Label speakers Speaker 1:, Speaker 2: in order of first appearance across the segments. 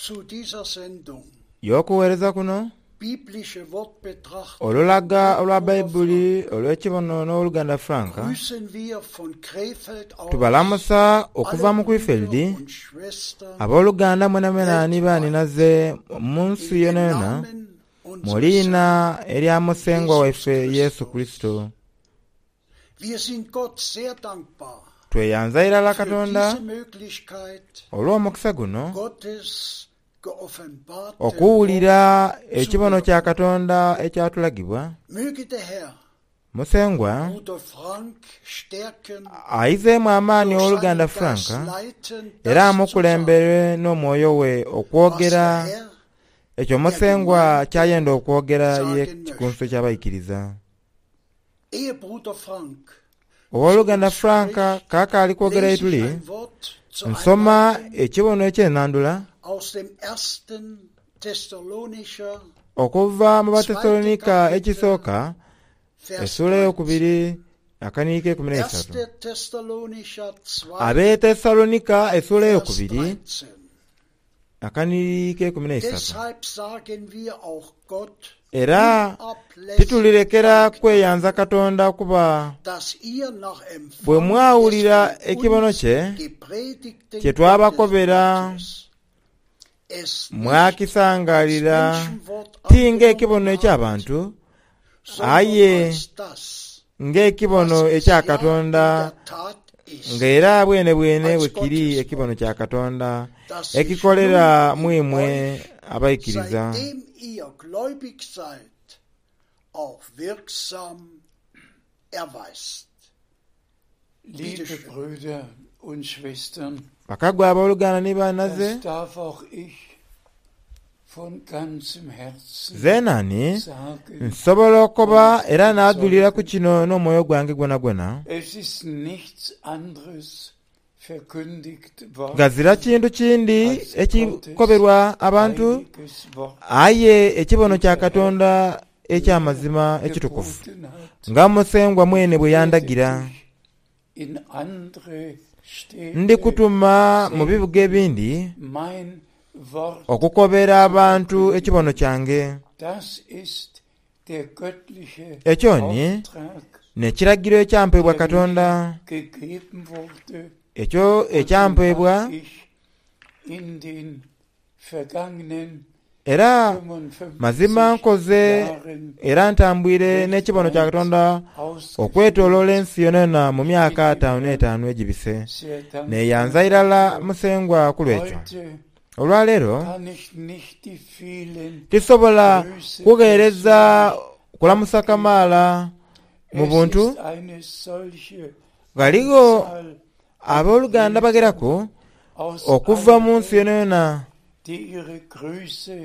Speaker 1: Zu dieser Sendung.
Speaker 2: Y'okuweereza kuno,
Speaker 1: Biblische Wortbetrachtung
Speaker 2: olulaga
Speaker 1: mit
Speaker 2: olwa
Speaker 1: Bruder
Speaker 2: Baibuli
Speaker 1: Frank
Speaker 2: olw'ekibono n'Owoluganda Frank,
Speaker 1: grüßen wir von Krefeld aus
Speaker 2: tubalamusa okuva
Speaker 1: alle
Speaker 2: mu
Speaker 1: Brüder
Speaker 2: Krefeld,
Speaker 1: und Schwestern
Speaker 2: abooluganda mwenamwena ni
Speaker 1: weltweit
Speaker 2: baaninaze mu nsi
Speaker 1: in dem
Speaker 2: yonayona,
Speaker 1: Namen
Speaker 2: mu
Speaker 1: unseres
Speaker 2: liina
Speaker 1: Herrn
Speaker 2: erya Musengwa
Speaker 1: Jesus
Speaker 2: waife Yesu
Speaker 1: Christus.
Speaker 2: Kurisito.
Speaker 1: Wir sind Gott sehr dankbar
Speaker 2: Tweyanza irala
Speaker 1: für
Speaker 2: Katonda
Speaker 1: diese Möglichkeit,
Speaker 2: olw'omukisa guno
Speaker 1: Gottes geoffenbarte
Speaker 2: okuwulira
Speaker 1: Wort zu
Speaker 2: ekibono kya
Speaker 1: hören.
Speaker 2: Katonda ekyatulagibwa.
Speaker 1: Möge der Herr
Speaker 2: Musengwa
Speaker 1: Bruder Frank stärken,
Speaker 2: aizeemu amaani
Speaker 1: durch
Speaker 2: owooluganda
Speaker 1: seinen Geist
Speaker 2: Frank
Speaker 1: leiten,
Speaker 2: era
Speaker 1: das zu sagen,
Speaker 2: amukulembere n'omwoyo we
Speaker 1: was
Speaker 2: okwogera
Speaker 1: der Herr
Speaker 2: ekyo
Speaker 1: der
Speaker 2: Musengwa
Speaker 1: Gemeinde
Speaker 2: kyayenda okwogera ye
Speaker 1: sagen
Speaker 2: kikunsu
Speaker 1: möchte.
Speaker 2: ky'abaikiriza.
Speaker 1: Ehe Bruder Frank zu
Speaker 2: Owooluganda
Speaker 1: uns
Speaker 2: Frank
Speaker 1: spricht,
Speaker 2: kaakaali kwogera
Speaker 1: lese ich
Speaker 2: ye tuli,
Speaker 1: ein Wort zur
Speaker 2: nsoma
Speaker 1: Einleitung
Speaker 2: ekibono eky'ennandula
Speaker 1: aus dem ersten Thessalonischer
Speaker 2: okuva mu
Speaker 1: zweite
Speaker 2: Batesalonika
Speaker 1: Kapitel,
Speaker 2: ekisooka
Speaker 1: Vers
Speaker 2: essuula
Speaker 1: 13.
Speaker 2: eyokubiri akaniiko ekumi n'eisatu.
Speaker 1: 1. Thessalonicher 2,
Speaker 2: Abetesalonika essuula
Speaker 1: Vers
Speaker 2: eyokubiri
Speaker 1: 13.
Speaker 2: akaniiko ekumi n'eisatu.
Speaker 1: Deshalb sagen wir auch Gott
Speaker 2: Era
Speaker 1: unablässig
Speaker 2: titulirekera
Speaker 1: Dank
Speaker 2: kweyanza
Speaker 1: dafür,
Speaker 2: Katonda kuba
Speaker 1: dass ihr nach
Speaker 2: bwe
Speaker 1: Empfang des
Speaker 2: mwawulira
Speaker 1: von
Speaker 2: ekibono
Speaker 1: uns
Speaker 2: kye
Speaker 1: gepredigten
Speaker 2: kye twabakobera
Speaker 1: Gotteswortes es nicht als
Speaker 2: mwakisangalira
Speaker 1: Menschenwort
Speaker 2: ti
Speaker 1: angenommen
Speaker 2: ng'ekibono
Speaker 1: habt,
Speaker 2: eky'abantu
Speaker 1: sondern
Speaker 2: aye
Speaker 1: als das,
Speaker 2: ng'ekibono
Speaker 1: was es
Speaker 2: ekya
Speaker 1: ja in
Speaker 2: Katonda
Speaker 1: der Tat ist,
Speaker 2: ng'era bwene bwene bwe
Speaker 1: als
Speaker 2: kiri ekibono
Speaker 1: Gotteswort,
Speaker 2: kya Katonda
Speaker 1: das sich
Speaker 2: ekikolera
Speaker 1: nun
Speaker 2: mu
Speaker 1: in
Speaker 2: imwe
Speaker 1: euch,
Speaker 2: abaikiriza.
Speaker 1: seitdem ihr gläubig seid, auch wirksam erweist. Bitte
Speaker 3: Liebe
Speaker 1: schön.
Speaker 3: Brüder und Schwestern,
Speaker 2: Bakagwa abooluganda ni bannaze
Speaker 3: das darf auch ich von ganzem Herzen
Speaker 2: Zeenani
Speaker 3: sagen
Speaker 2: nsobola okukoba
Speaker 3: und
Speaker 2: era n'adulira ku
Speaker 3: bezeugen.
Speaker 2: kino n'omwoyo gwange gwonagwona
Speaker 3: Es ist nichts anderes verkündigt
Speaker 2: ghazira
Speaker 3: worden
Speaker 2: kintu kindi
Speaker 3: als Gottes
Speaker 2: ekikoberwa abantu
Speaker 3: heiliges Wort,
Speaker 2: aye ekibono
Speaker 3: wie
Speaker 2: kya
Speaker 3: der Herr
Speaker 2: Katonda
Speaker 3: mir
Speaker 2: eky'amazima ekitukuvu
Speaker 3: geboten hat.
Speaker 2: nga Musengwa mwene bwe
Speaker 3: Ich werde
Speaker 2: yandagira.
Speaker 3: dich in andere Städte
Speaker 2: Ndikutuma mu bibuga
Speaker 3: senden,
Speaker 2: ebindi
Speaker 3: mein Wort
Speaker 2: okukobera
Speaker 3: zu
Speaker 2: abantu
Speaker 3: verkündigen.
Speaker 2: ekibono kyange.
Speaker 3: Das ist der göttliche
Speaker 2: Ekyo ni
Speaker 3: Auftrag,
Speaker 2: n'ekiragiro ekyampeebwa
Speaker 3: der mir
Speaker 2: Katonda
Speaker 3: gegeben wurde
Speaker 2: ekyo
Speaker 3: und den
Speaker 2: ekyampeebwa
Speaker 3: hab ich in den vergangenen
Speaker 2: era mazima
Speaker 3: 55
Speaker 2: nkoze
Speaker 3: Jahren
Speaker 2: era ntambwire n'ekibono kya
Speaker 3: weltweit
Speaker 2: Katonda
Speaker 3: ausgeführt.
Speaker 2: okwetooloola ensi yonayona mu
Speaker 3: Ich
Speaker 2: myaka
Speaker 3: bin dem
Speaker 2: ataano
Speaker 3: Herrn
Speaker 2: n'etaano egibise.
Speaker 3: sehr dankbar
Speaker 2: Neeyanza irala
Speaker 3: dafür.
Speaker 2: Musengwa ku lw'ekyo.
Speaker 3: Heute
Speaker 2: Olwaleero
Speaker 3: kann ich nicht die vielen
Speaker 2: tisobola
Speaker 3: Grüße
Speaker 2: kugheereza
Speaker 3: persönlich
Speaker 2: kulamusa
Speaker 3: abgeben.
Speaker 2: kamaala mu
Speaker 3: Es
Speaker 2: buntu
Speaker 3: ist eine solche
Speaker 2: ghaligho
Speaker 3: Anzahl an
Speaker 2: abooluganda
Speaker 3: Brüdern
Speaker 2: bageraku
Speaker 3: aus
Speaker 2: okuva
Speaker 3: aller
Speaker 2: mu nsi
Speaker 3: Welt,
Speaker 2: yonayona
Speaker 3: die ihre Grüße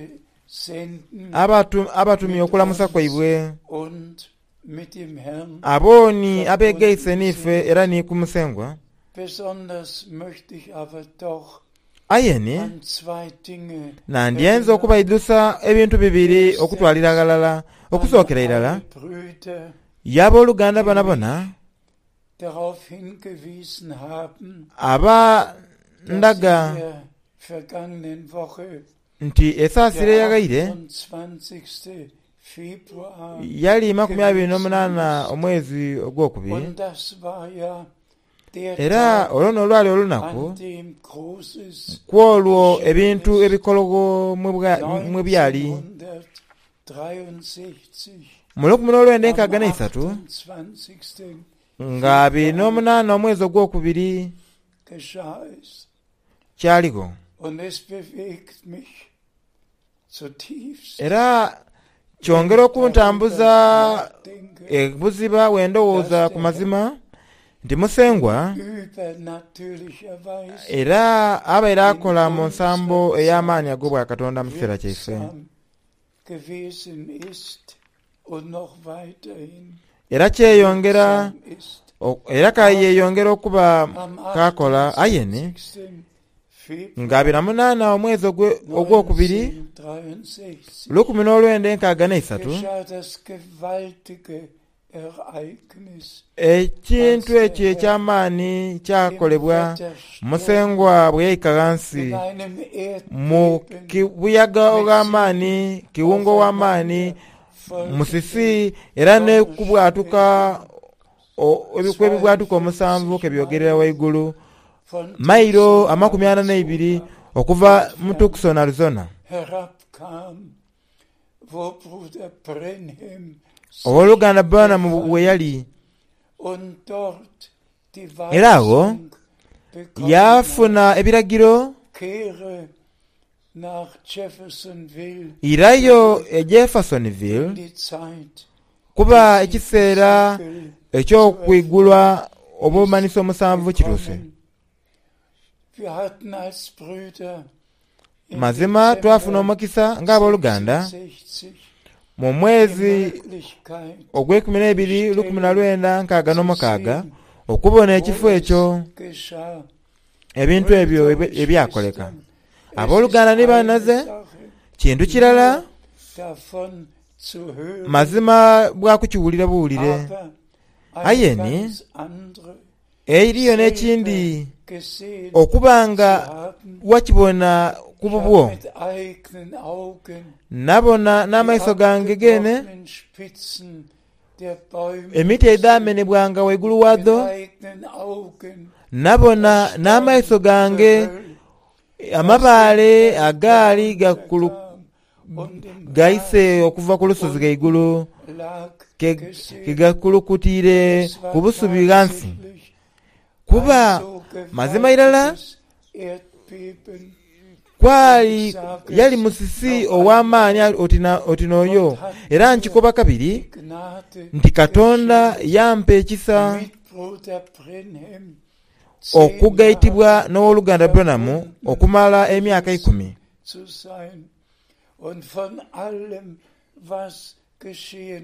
Speaker 3: senden
Speaker 2: abatumye
Speaker 3: mit
Speaker 2: okulamusa
Speaker 3: uns
Speaker 2: kwaibwe
Speaker 3: und mit dem Herrn
Speaker 2: abooni abeegaise
Speaker 3: verbunden
Speaker 2: n'ife
Speaker 3: sind.
Speaker 2: era ni ku Musengwa.
Speaker 3: Besonders möchte ich aber doch
Speaker 2: Aye ni
Speaker 3: an zwei Dinge
Speaker 2: nandyenze
Speaker 3: erinnern.
Speaker 2: okubaidhusa ebintu bibiri okutwalira
Speaker 3: Erstens
Speaker 2: ghalala
Speaker 3: an
Speaker 2: okusookera irala
Speaker 3: alle Brüder,
Speaker 2: ye abooluganda
Speaker 3: die
Speaker 2: bonabona
Speaker 3: mich darauf hingewiesen haben,
Speaker 2: aba
Speaker 3: dass in
Speaker 2: ndaga
Speaker 3: der vergangenen Woche
Speaker 2: nti esaasira
Speaker 3: der
Speaker 2: eyaghaire
Speaker 3: 28. Februar
Speaker 2: yali makumi abiri
Speaker 3: gewesen
Speaker 2: n'omunaana
Speaker 3: ist.
Speaker 2: omwezi ogwokubiri
Speaker 3: Und das war ja der
Speaker 2: era
Speaker 3: Tag,
Speaker 2: olwo n'olwali olunaku
Speaker 3: an dem Großes
Speaker 2: ku olwo
Speaker 3: geschehen
Speaker 2: ebintu
Speaker 3: ist.
Speaker 2: ebikologo mwe byali
Speaker 3: 1963
Speaker 2: mu lukumi n'olwenda
Speaker 3: am
Speaker 2: enkaaga n'eisatu
Speaker 3: 28.
Speaker 2: nga abiri
Speaker 3: Februar
Speaker 2: n'omunaana omwezi ogwokubiri
Speaker 3: geschah es.
Speaker 2: kyaligho
Speaker 3: Und es bewegt mich zutiefst,
Speaker 2: era
Speaker 3: wenn
Speaker 2: kyongera
Speaker 3: ich darüber
Speaker 2: okuntambuza
Speaker 3: nachdenke,
Speaker 2: ebuziba bwe ndowooza
Speaker 3: dass
Speaker 2: ku
Speaker 3: der Herr
Speaker 2: mazima nti Musengwa
Speaker 3: übernatürlicherweise
Speaker 2: era abaire
Speaker 3: in
Speaker 2: akola mu nsambo
Speaker 3: unserer
Speaker 2: ey'amaanyi
Speaker 3: Zeit
Speaker 2: ag'obwakatonda mu kiseera kyaife.
Speaker 3: wirksam gewesen ist und noch weiterhin
Speaker 2: Era kyeyongera
Speaker 3: wirksam ist.
Speaker 2: era kayeeyongera okuba
Speaker 3: Am
Speaker 2: kakola aye ni
Speaker 3: 28.
Speaker 2: nga abiri na munaana omwezi ogwokubiri
Speaker 3: 1963
Speaker 2: lukumi n'olwenda enkaaga n'eisatu
Speaker 3: geschah das gewaltige
Speaker 2: Ekintu ekyo eky'amaani kyakolebwa Musengwa bwe yaika ghansi mu kibuyaga ogh'amaani, kiwunga ow'amaani, musisi era n'okubwatuka kw'ebibwatuka omusanvu ke byogerera ghaigulu, mailo 42 okuva mu Tucson, Arizona. Ow'oluganda Branham we yali, era agho yaafuna ebiragiro irayo e Jeffersonville kuba ekiseera eky'okwigulwa obumanhiso omusanvu kituuse. Mazima twafuna omukisa ng'aboluganda mu mwezi ogweikumi n'eibiri 1966 okubona ekifo ekyo ebintu ebyo ebyakoleka. Aboluganda ni banhaze kintu kirala mazima bwa kukiwulira buwulire. Aye ni Eriyo n'ekindi okuba nga wakibona ku bubwo. Nabona n'amaiso gange geene emiti edhaamenebwanga ghaigulu ghaadho, nabona n'amaiso gange amabaale agaali gaise okuva ku lusozi ghaigulu ke gakulukutiire ku busubi ghansi. Kuba mazima irala kwali yali musisi ow'amaani oti n'oyo. Era nkikoba kabiri nti Katonda yampa ekisa okugaitibwa n'Owoluganda Branham okumala emyaka eikumi.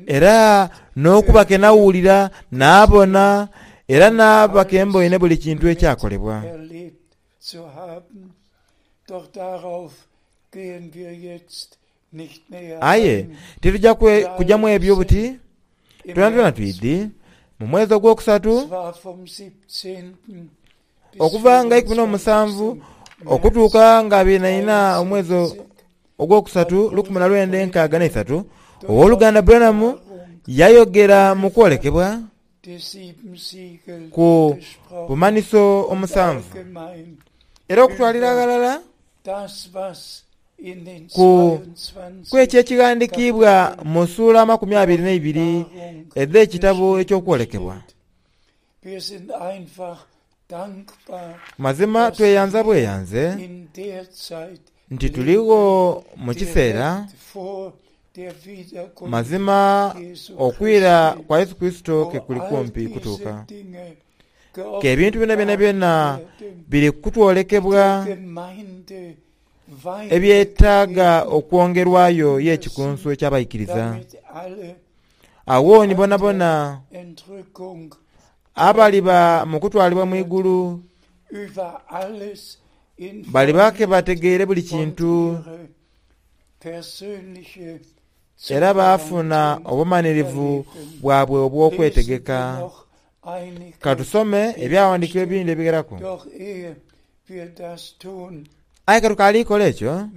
Speaker 2: Era n'okuba ke nawulira, naabona, era naaba ke mboine buli kintu ekyakolebwa. Aye tituja kuja mu ebyo buti, twenatwena twidhi, mu mwezi ogwokusatu, Okuva nga 17 okutuuka nga 24 omwezi ogwokusatu 1963, Ow'oluganda Branham yayogera mu kwolekebwa ku bumanhiso omusanvu era okutwalira aghalala ku kw'ekyo ekighandikiibwa mu suula 22 edh'ekitabo eky'okwolekebwa. Mazima tweyanza bweyanze nti tuligho mu kiseera mazima okwira kwa Yesu Kurisito ke kuli kumpi kutuuka. Ke ebintu bino byonabyona biri kutwolekebwa ebyetaaga okwongerwayo y'Ekikunsu eky'Abaikiriza. Agho ni bonabona abaliba mu kutwalibwa mu igulu baliba ke bategeire buli kintu era baafuna obumanhirivu bwabwe obw'okwetegeka. Ka tusome ebyawandiikibwa ebindi ebigheraku. Aye ka tukaali kola ekyo,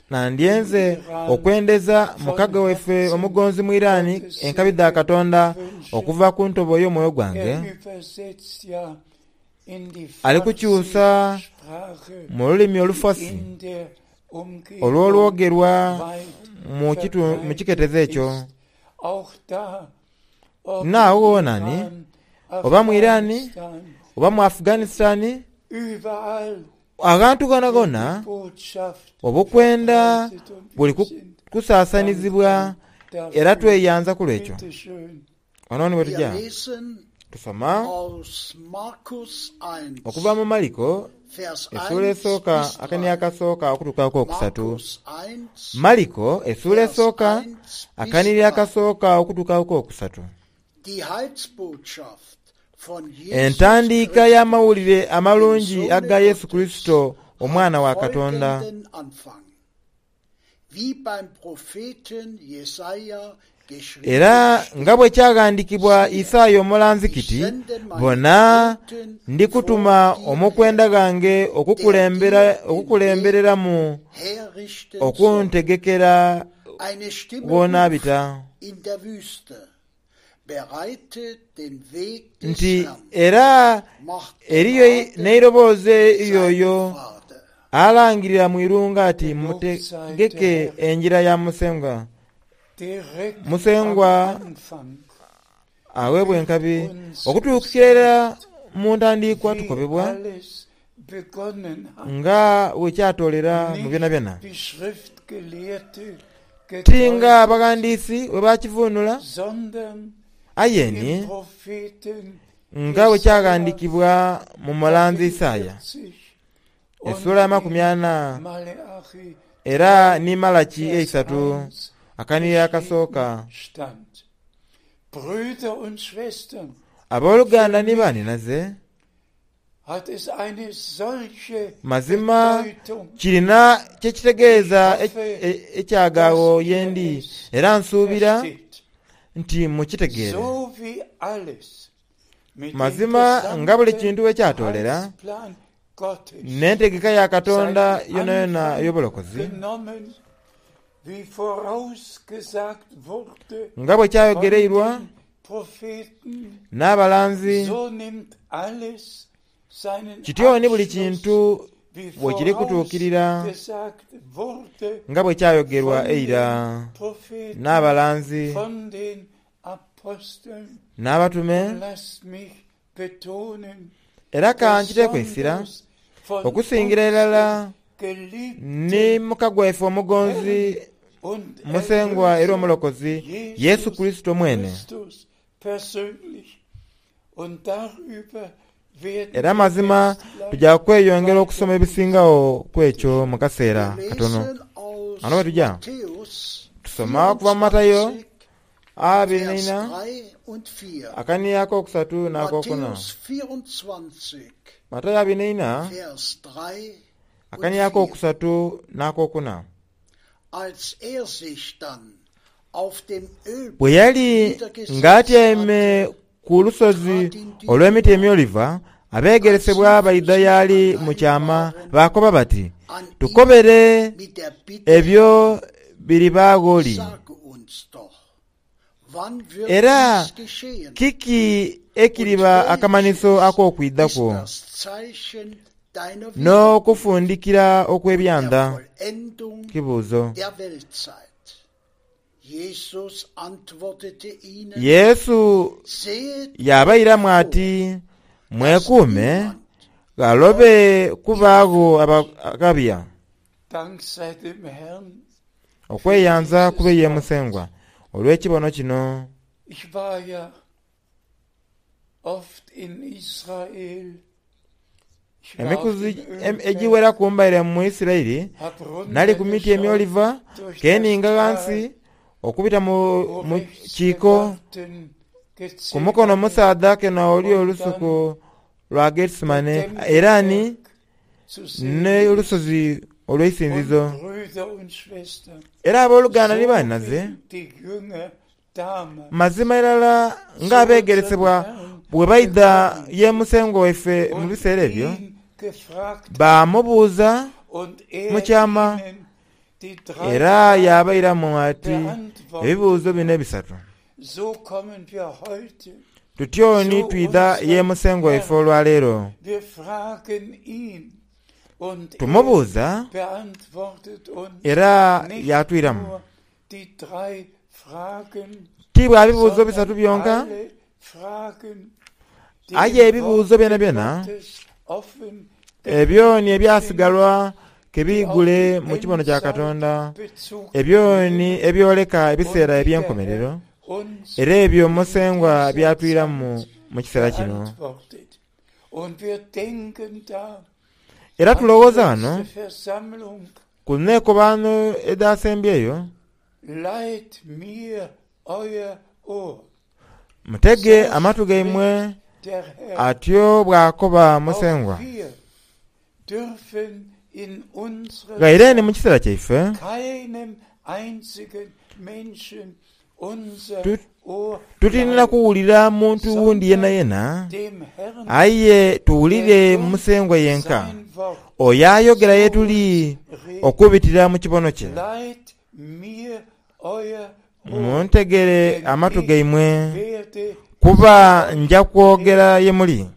Speaker 2: nandyenze okwendeza mukago waife omugonzi mu Iran enkabi dha Katonda okuva ku ntobo y'omwoyo gwange. Ali kukyusa mu lulimi Olufasi olw'olwogerwa mu kiketezo ekyo. N'agho ghona ni, oba mu Iran, oba mu Afghanistan, aghantu ghonaghona obukwenda buli kusasanizibwa era tweyanza ku lw'ekyo. Ghano ni bwe tuja tusoma okuva mu Maliko esuula esooka akani akasooka okutuuka ku kokusatu. Maliko esuula esooka akanhiriri akasooka okutuuka ku kokusatu. Entandiika y'amawulire amalungi aga Yesu Kurisito Omwana wa Katonda. Era nga bwe kyaghandiikibwa Isaia omulanzi kiti, Bona, ndi kutuma omukwenda ghange okukulembereramu okuntegekera gh'onaabita. Nti era eriyo n'eiroboozi ery'oyo alangirira mu irungu ati, Mutegeke engira ya Musengwa. Musengwa aweebwe enkabi. Okutuukira irala mu ntandiikwa tukobebwa nga bwe kyatoolera mu byonabyona. Ti nga abaghandiisi bwe baakivuunula, aye ni nga bwe kyaghandiikibwa mu mulanzi Isaia esula y'amakumi ana era ni Malaki eisatu akanhiriro akasooka. Aboluganda ni banhinaze, Mazima kirina kye kitegeeza ekyagaagho ye ndi, era nsuubira nti mukitegeere. Mazima nga buli kintu bwe kyatoolera, n'entegeka ya Katonda yonayona ey'obulokozi, Nga bwe kyayogereirwa n'abalanzi, kityo ni buli kintu bwe kiri kutuukirira nga bwe kyayogerwa eira n'abalanzi n'abatume. Era ka nkiteeku eisira okusingira irala ni muka gwaife omugonzi, Musengwa era Omulokozi Yesu Kurisito mwene. Era mazima tuja kweyongera okusoma ebisingagho ku ekyo mu kaseera katono. Ghano ghe tuja, tusoma okuva mu Matayo abiri n'eina, akaniya akokusatu n'akokuna. Matayo abiri n'eina, akaniya akokusatu n'akokuna. Bwe yali ng'atyaime ku lusozi olw'emiti emyoliva, abeegeresebwa baidha y'ali mu kyama baakoba bati, Tukobere ebyo biribaagho li? Era kiki ekiriba akamanhiso ak'okwidha kwo, n'okufundikira okw'ebyanda? Kibuuzo. Yesu yaabairamu ati, Mwekuume ghalobe kubaagho abaghabya. Okweyanza kube ye Musengwa olw'ekibono kino. Emikuzi egiweraku mbaire mu Isiraeli, nali ku miti emyoliva, keninga ghansi okubita mu kiiko. Ku mukono omusaadha kena oli olusuku lwa Getsemane era ni n'olusozi olw'eisinzizo. Era aboluganda ni banhinaze, Mazima irala ng'abeegeresebwa bwe baidha ye Musengwa waife mu biseera ebyo, baamubuuza mu kyama, era yaabairamu ati ebibuuzo bino ebisatu, Tutyo ni twidha ye Musengwa waife olwaleero, tumubuuza era yaatwiramu. Ti bwa bibuuzo bisatu byonka, aye ebibuuzo byonabyona ebyo ni ebyasigalwa ke biigule mu kibono kya Katonda, ebyo ni ebyoleka ebiseera eby'enkomerero, era ebyo Musengwa by'atwiramu mu kiseera kino. Era tulowooza ghano Ku neekobaano edhaasembyeyo, mutege amatu gaimwe, atyo bw'akoba Musengwa. Ghaire ni mu kiseera kyaife, tutinira kuwulira muntu wundi yenayena, aye tuwulire Musengwa yenka, oyo ayogera ye tuli okubitira mu kibono kye. Muntegere amatu gaimwe, kuba nja kwogera ye muli.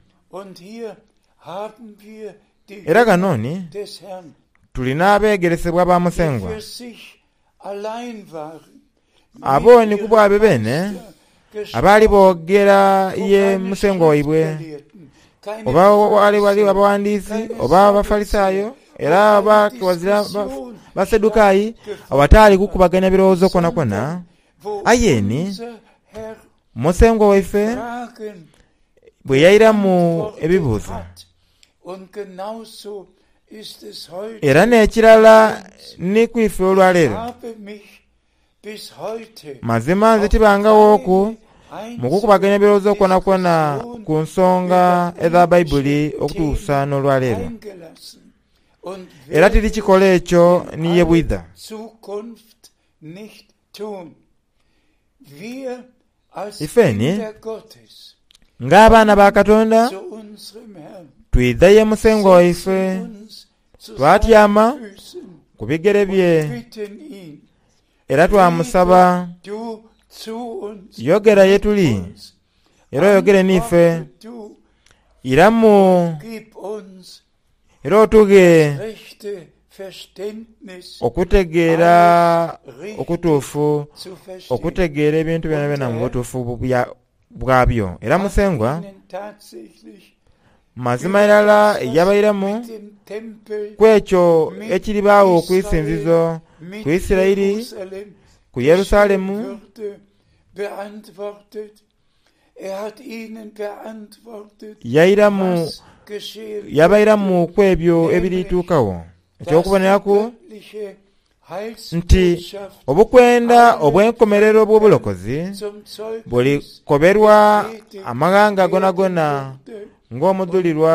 Speaker 2: Era ghano ni tuli n'abeegeresebwa ba Musengwa, abo ni ku bwaibwe beene abaali boogera ye Musengwa waibwe, oba ghali abaghandiisi oba Abafalisaayo era oba ghazira Basadukayi, awataali kukubagania birowoozo kwonakwona. Aye ni Musengwa waife bwe yairamu ebibuuzo. Era n'ekirala ni ku ife olwaleero. Mazima nze tibangaghooku mu kukubagania ebirowoozo kwonakwona ku nsonga edha Baibuli okutuusa n'olwaleero. Era tirikikola ekyo ni ye bwidha. Ifeni ng'abaana ba Katonda twidha ye Musengwa waife, twatyama ku bigere bye era twamusaba, Yogera ye tuli era oyogere n'ife, iramu Era otughe okutegeera okutuufu, okutegeera ebintu byonabyona mu butuufu bwabyo. Era Musengwa, mazima irala yabairamu ku ekyo ekiribaagho ku isinzizo, ku Isiraeli, ku Yerusalemu. Yairamu yabairamu ku ebyo ebirituukagho. Eky'okuboneraku nti obukwenda obw'enkomerero obw'obulokozi bulikoberwa amaghanga gonagona ng'omudhulirwa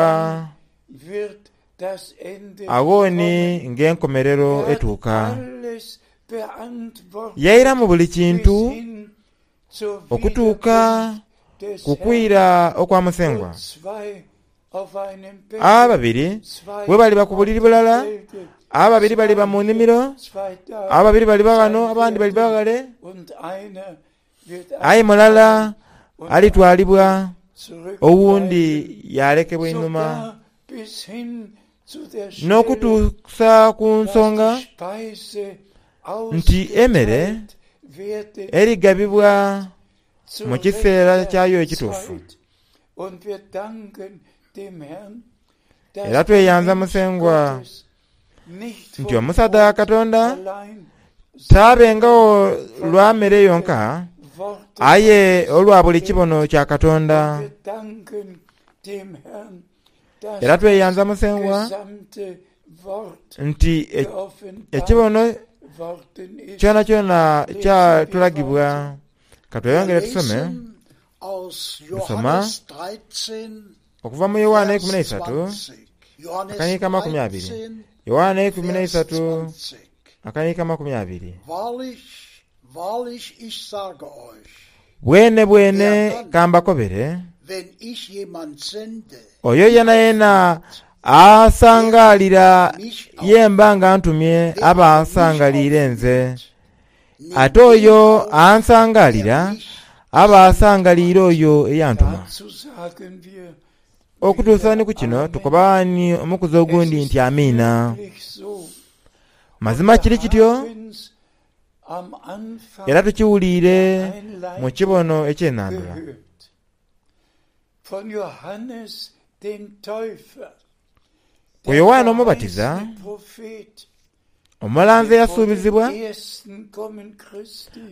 Speaker 2: agho ni ng'enkomerero etuuka. Yairamu buli kintu okutuuka ku kwira okwa Musengwa. Ababiri bwe baliba ku buliri bulala, ababiri baliba mu nimiro, ababiri baliba ghano, abandi baliba ghale, aye mulala alitwalibwa owundi yaalekebwa einhuma. N'okutuusa ku nsonga nti emere erigabibwa mu kiseera kyayo ekituufu. Era tweyanza Musengwa nti omusaadha wa Katonda taabengagho lwa mere yonka, aye olwa buli kibono kya Katonda. Era tweyanza Musengwa nti ekibono kyonakyona kyatulagibwa. Ka tweyongere tusome. Tusoma okuva mu Yoanna eikumi n'eisatu akaniika 20. Yoanna 13 akaniika 20. Bwenebwene ka mbakobere, oyo yenayena asangaalira ye mba nga ntumye aba asangaliire nze, ate oyo ansangaalira aba asangaliire oyo eyantuma. Okutuusa ni ku kino tukoba ni omukuzi ogundi nti Amiina. Mazima kiri kityo. Era tukiwuliire mu kibono eky'enhandhula. Ku Yoanne Omubatiza, omulanzi eyasuubizibwa,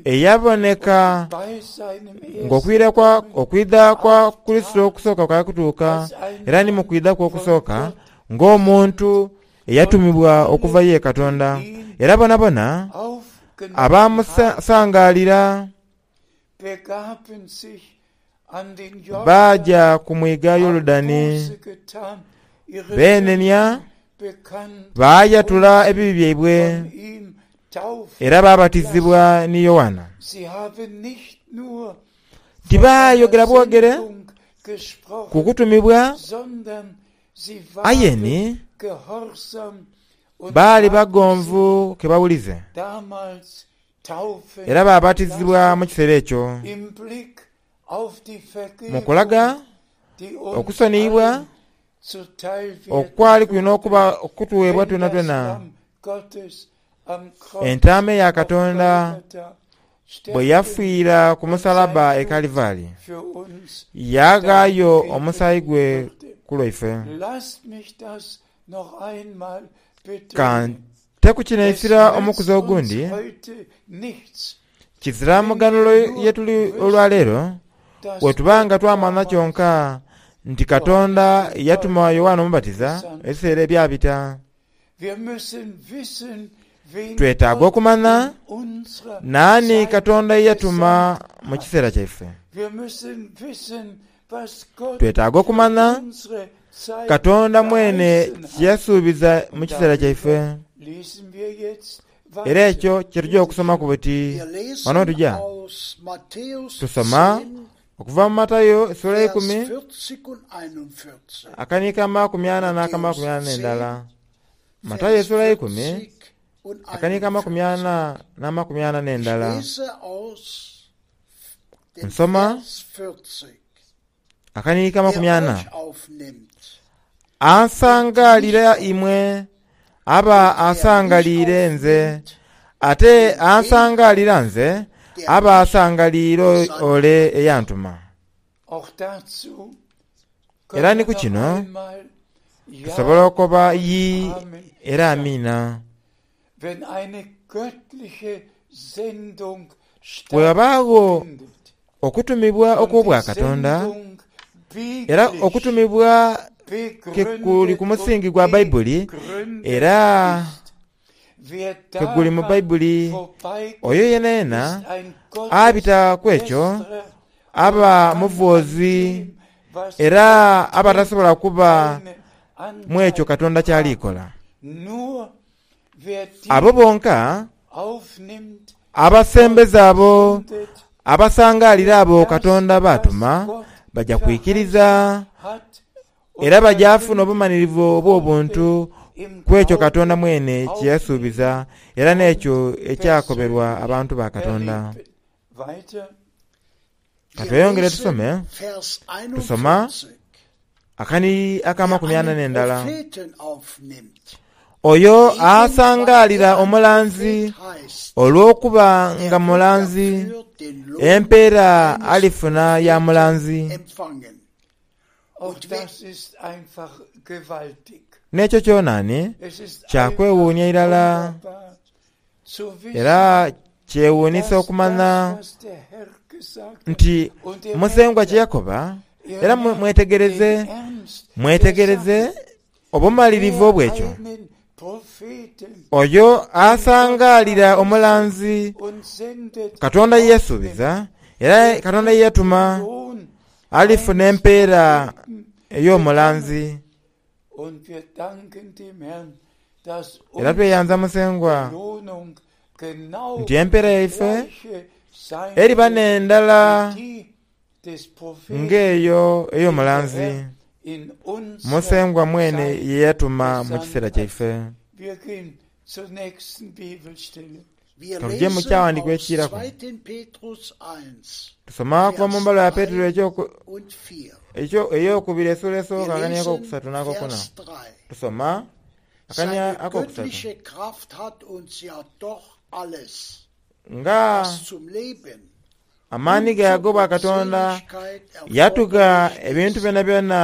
Speaker 2: eyaboneka ng'okwidha kwa Kurisito okusooka kwali kutuuka, era ni mu kwidha kwe okusooka ng'omuntu eyatumibwa okuva ye Katonda, era bonabona abaamusangaalira baaja ku mwiga Yorudani, beenenia. Baayatula ebibi byaibwe era baabatizibwa ni Yoanna. Tibaayogera bwogere ku kutumibwa, aye ni baali bagonvu ke bawulize era baabatizibwa mu kiseera ekyo. Mu kulaga okusoniyibwa okwali kulina okuba okutuweebwa twenatwena, Entaama eya Katonda bwe yafiira ku musalabba e Kalivari, yaaghaayo omusaayi gwe ku lwaife. Ka nte ku kino eisira omukuzi ogundi, kizira muganhulo ye tuli olwaleero, bwe tuba nga twamanha kyonka nti Katonda yatuma Yoanne Omubatiza ebiseera ebyabita. Twetaaga okumanha naani Katonda ye yatuma mu kiseera kyaife. Twetaaga okumanha Katonda mwene kye yasuubiza mu kiseera kyaife. Era ekyo kye tuja okusomaku buti ghano we tuja. Tusoma okuva mu Matayo esula eikumi, akaniiko amakumi ana n'akamakumi ana n'endala. Matayo esula eikumi, akaniiko amakumi ana n'amakumi ana n'endala. Nsoma akaniiko amakumi ana. Ansangaalira imwe aba asangaliire nze, ate ansangaalira nze aba asangaliire ole eyantuma. Era ni ku kino tusobola okoba Yii era Amiina. Bwe ghabaagho okutumibwa okw'Obwakatonda, era okutumibwa ke kuli ku musingi gwa Baibuli, era ke guli mu Baibuli, oyo yenayena abita ku ekyo aba muvwozi era aba tasobola kuba mu ekyo Katonda ky'ali kola. Abo bonka abasembeza abo abasangaalira abo Katonda b'atuma baja kwikiriza era baja funa obumanhirivu obw'obuntu ku ekyo Katonda mwene kye yasuubiza era n'ekyo ekyakoberwa abantu ba Katonda. Ka tweyongere tusome. Tusoma akanhiriri ak'amakumi ana n'endala. Oyo asangaalira omulanzi olw'okuba nga mulanzi, empeera alifuna ya mulanzi. N'ekyo kyona ni kya kwewuunia irala. Era kyewuunhisa okumanha nti Musengwa kye yakoba, era mwetegereze, mwetegereze obumalirivu obw'ekyo. Oyo asangaalira omulanzi Katonda ye yasuubiza, era Katonda ye yatuma, alifuna empeera ey'omulanzi. Era tweyanza Musengwa nti empeera yaife eriba n'endala ng'eyo ey'omulanzi Musengwa mwene ye yatuma mu kiseera kyaife. Ka tuje mu kyaghandiikibwa ekiiraku. Tusoma okuva mu mbalwa ya Petero ey'okubiri esuula esooka akania akokusatu n'akokuna. Tusoma akania akokusatu. Nga amaani ge ag'obwakatonda yatugha ebintu byonabyona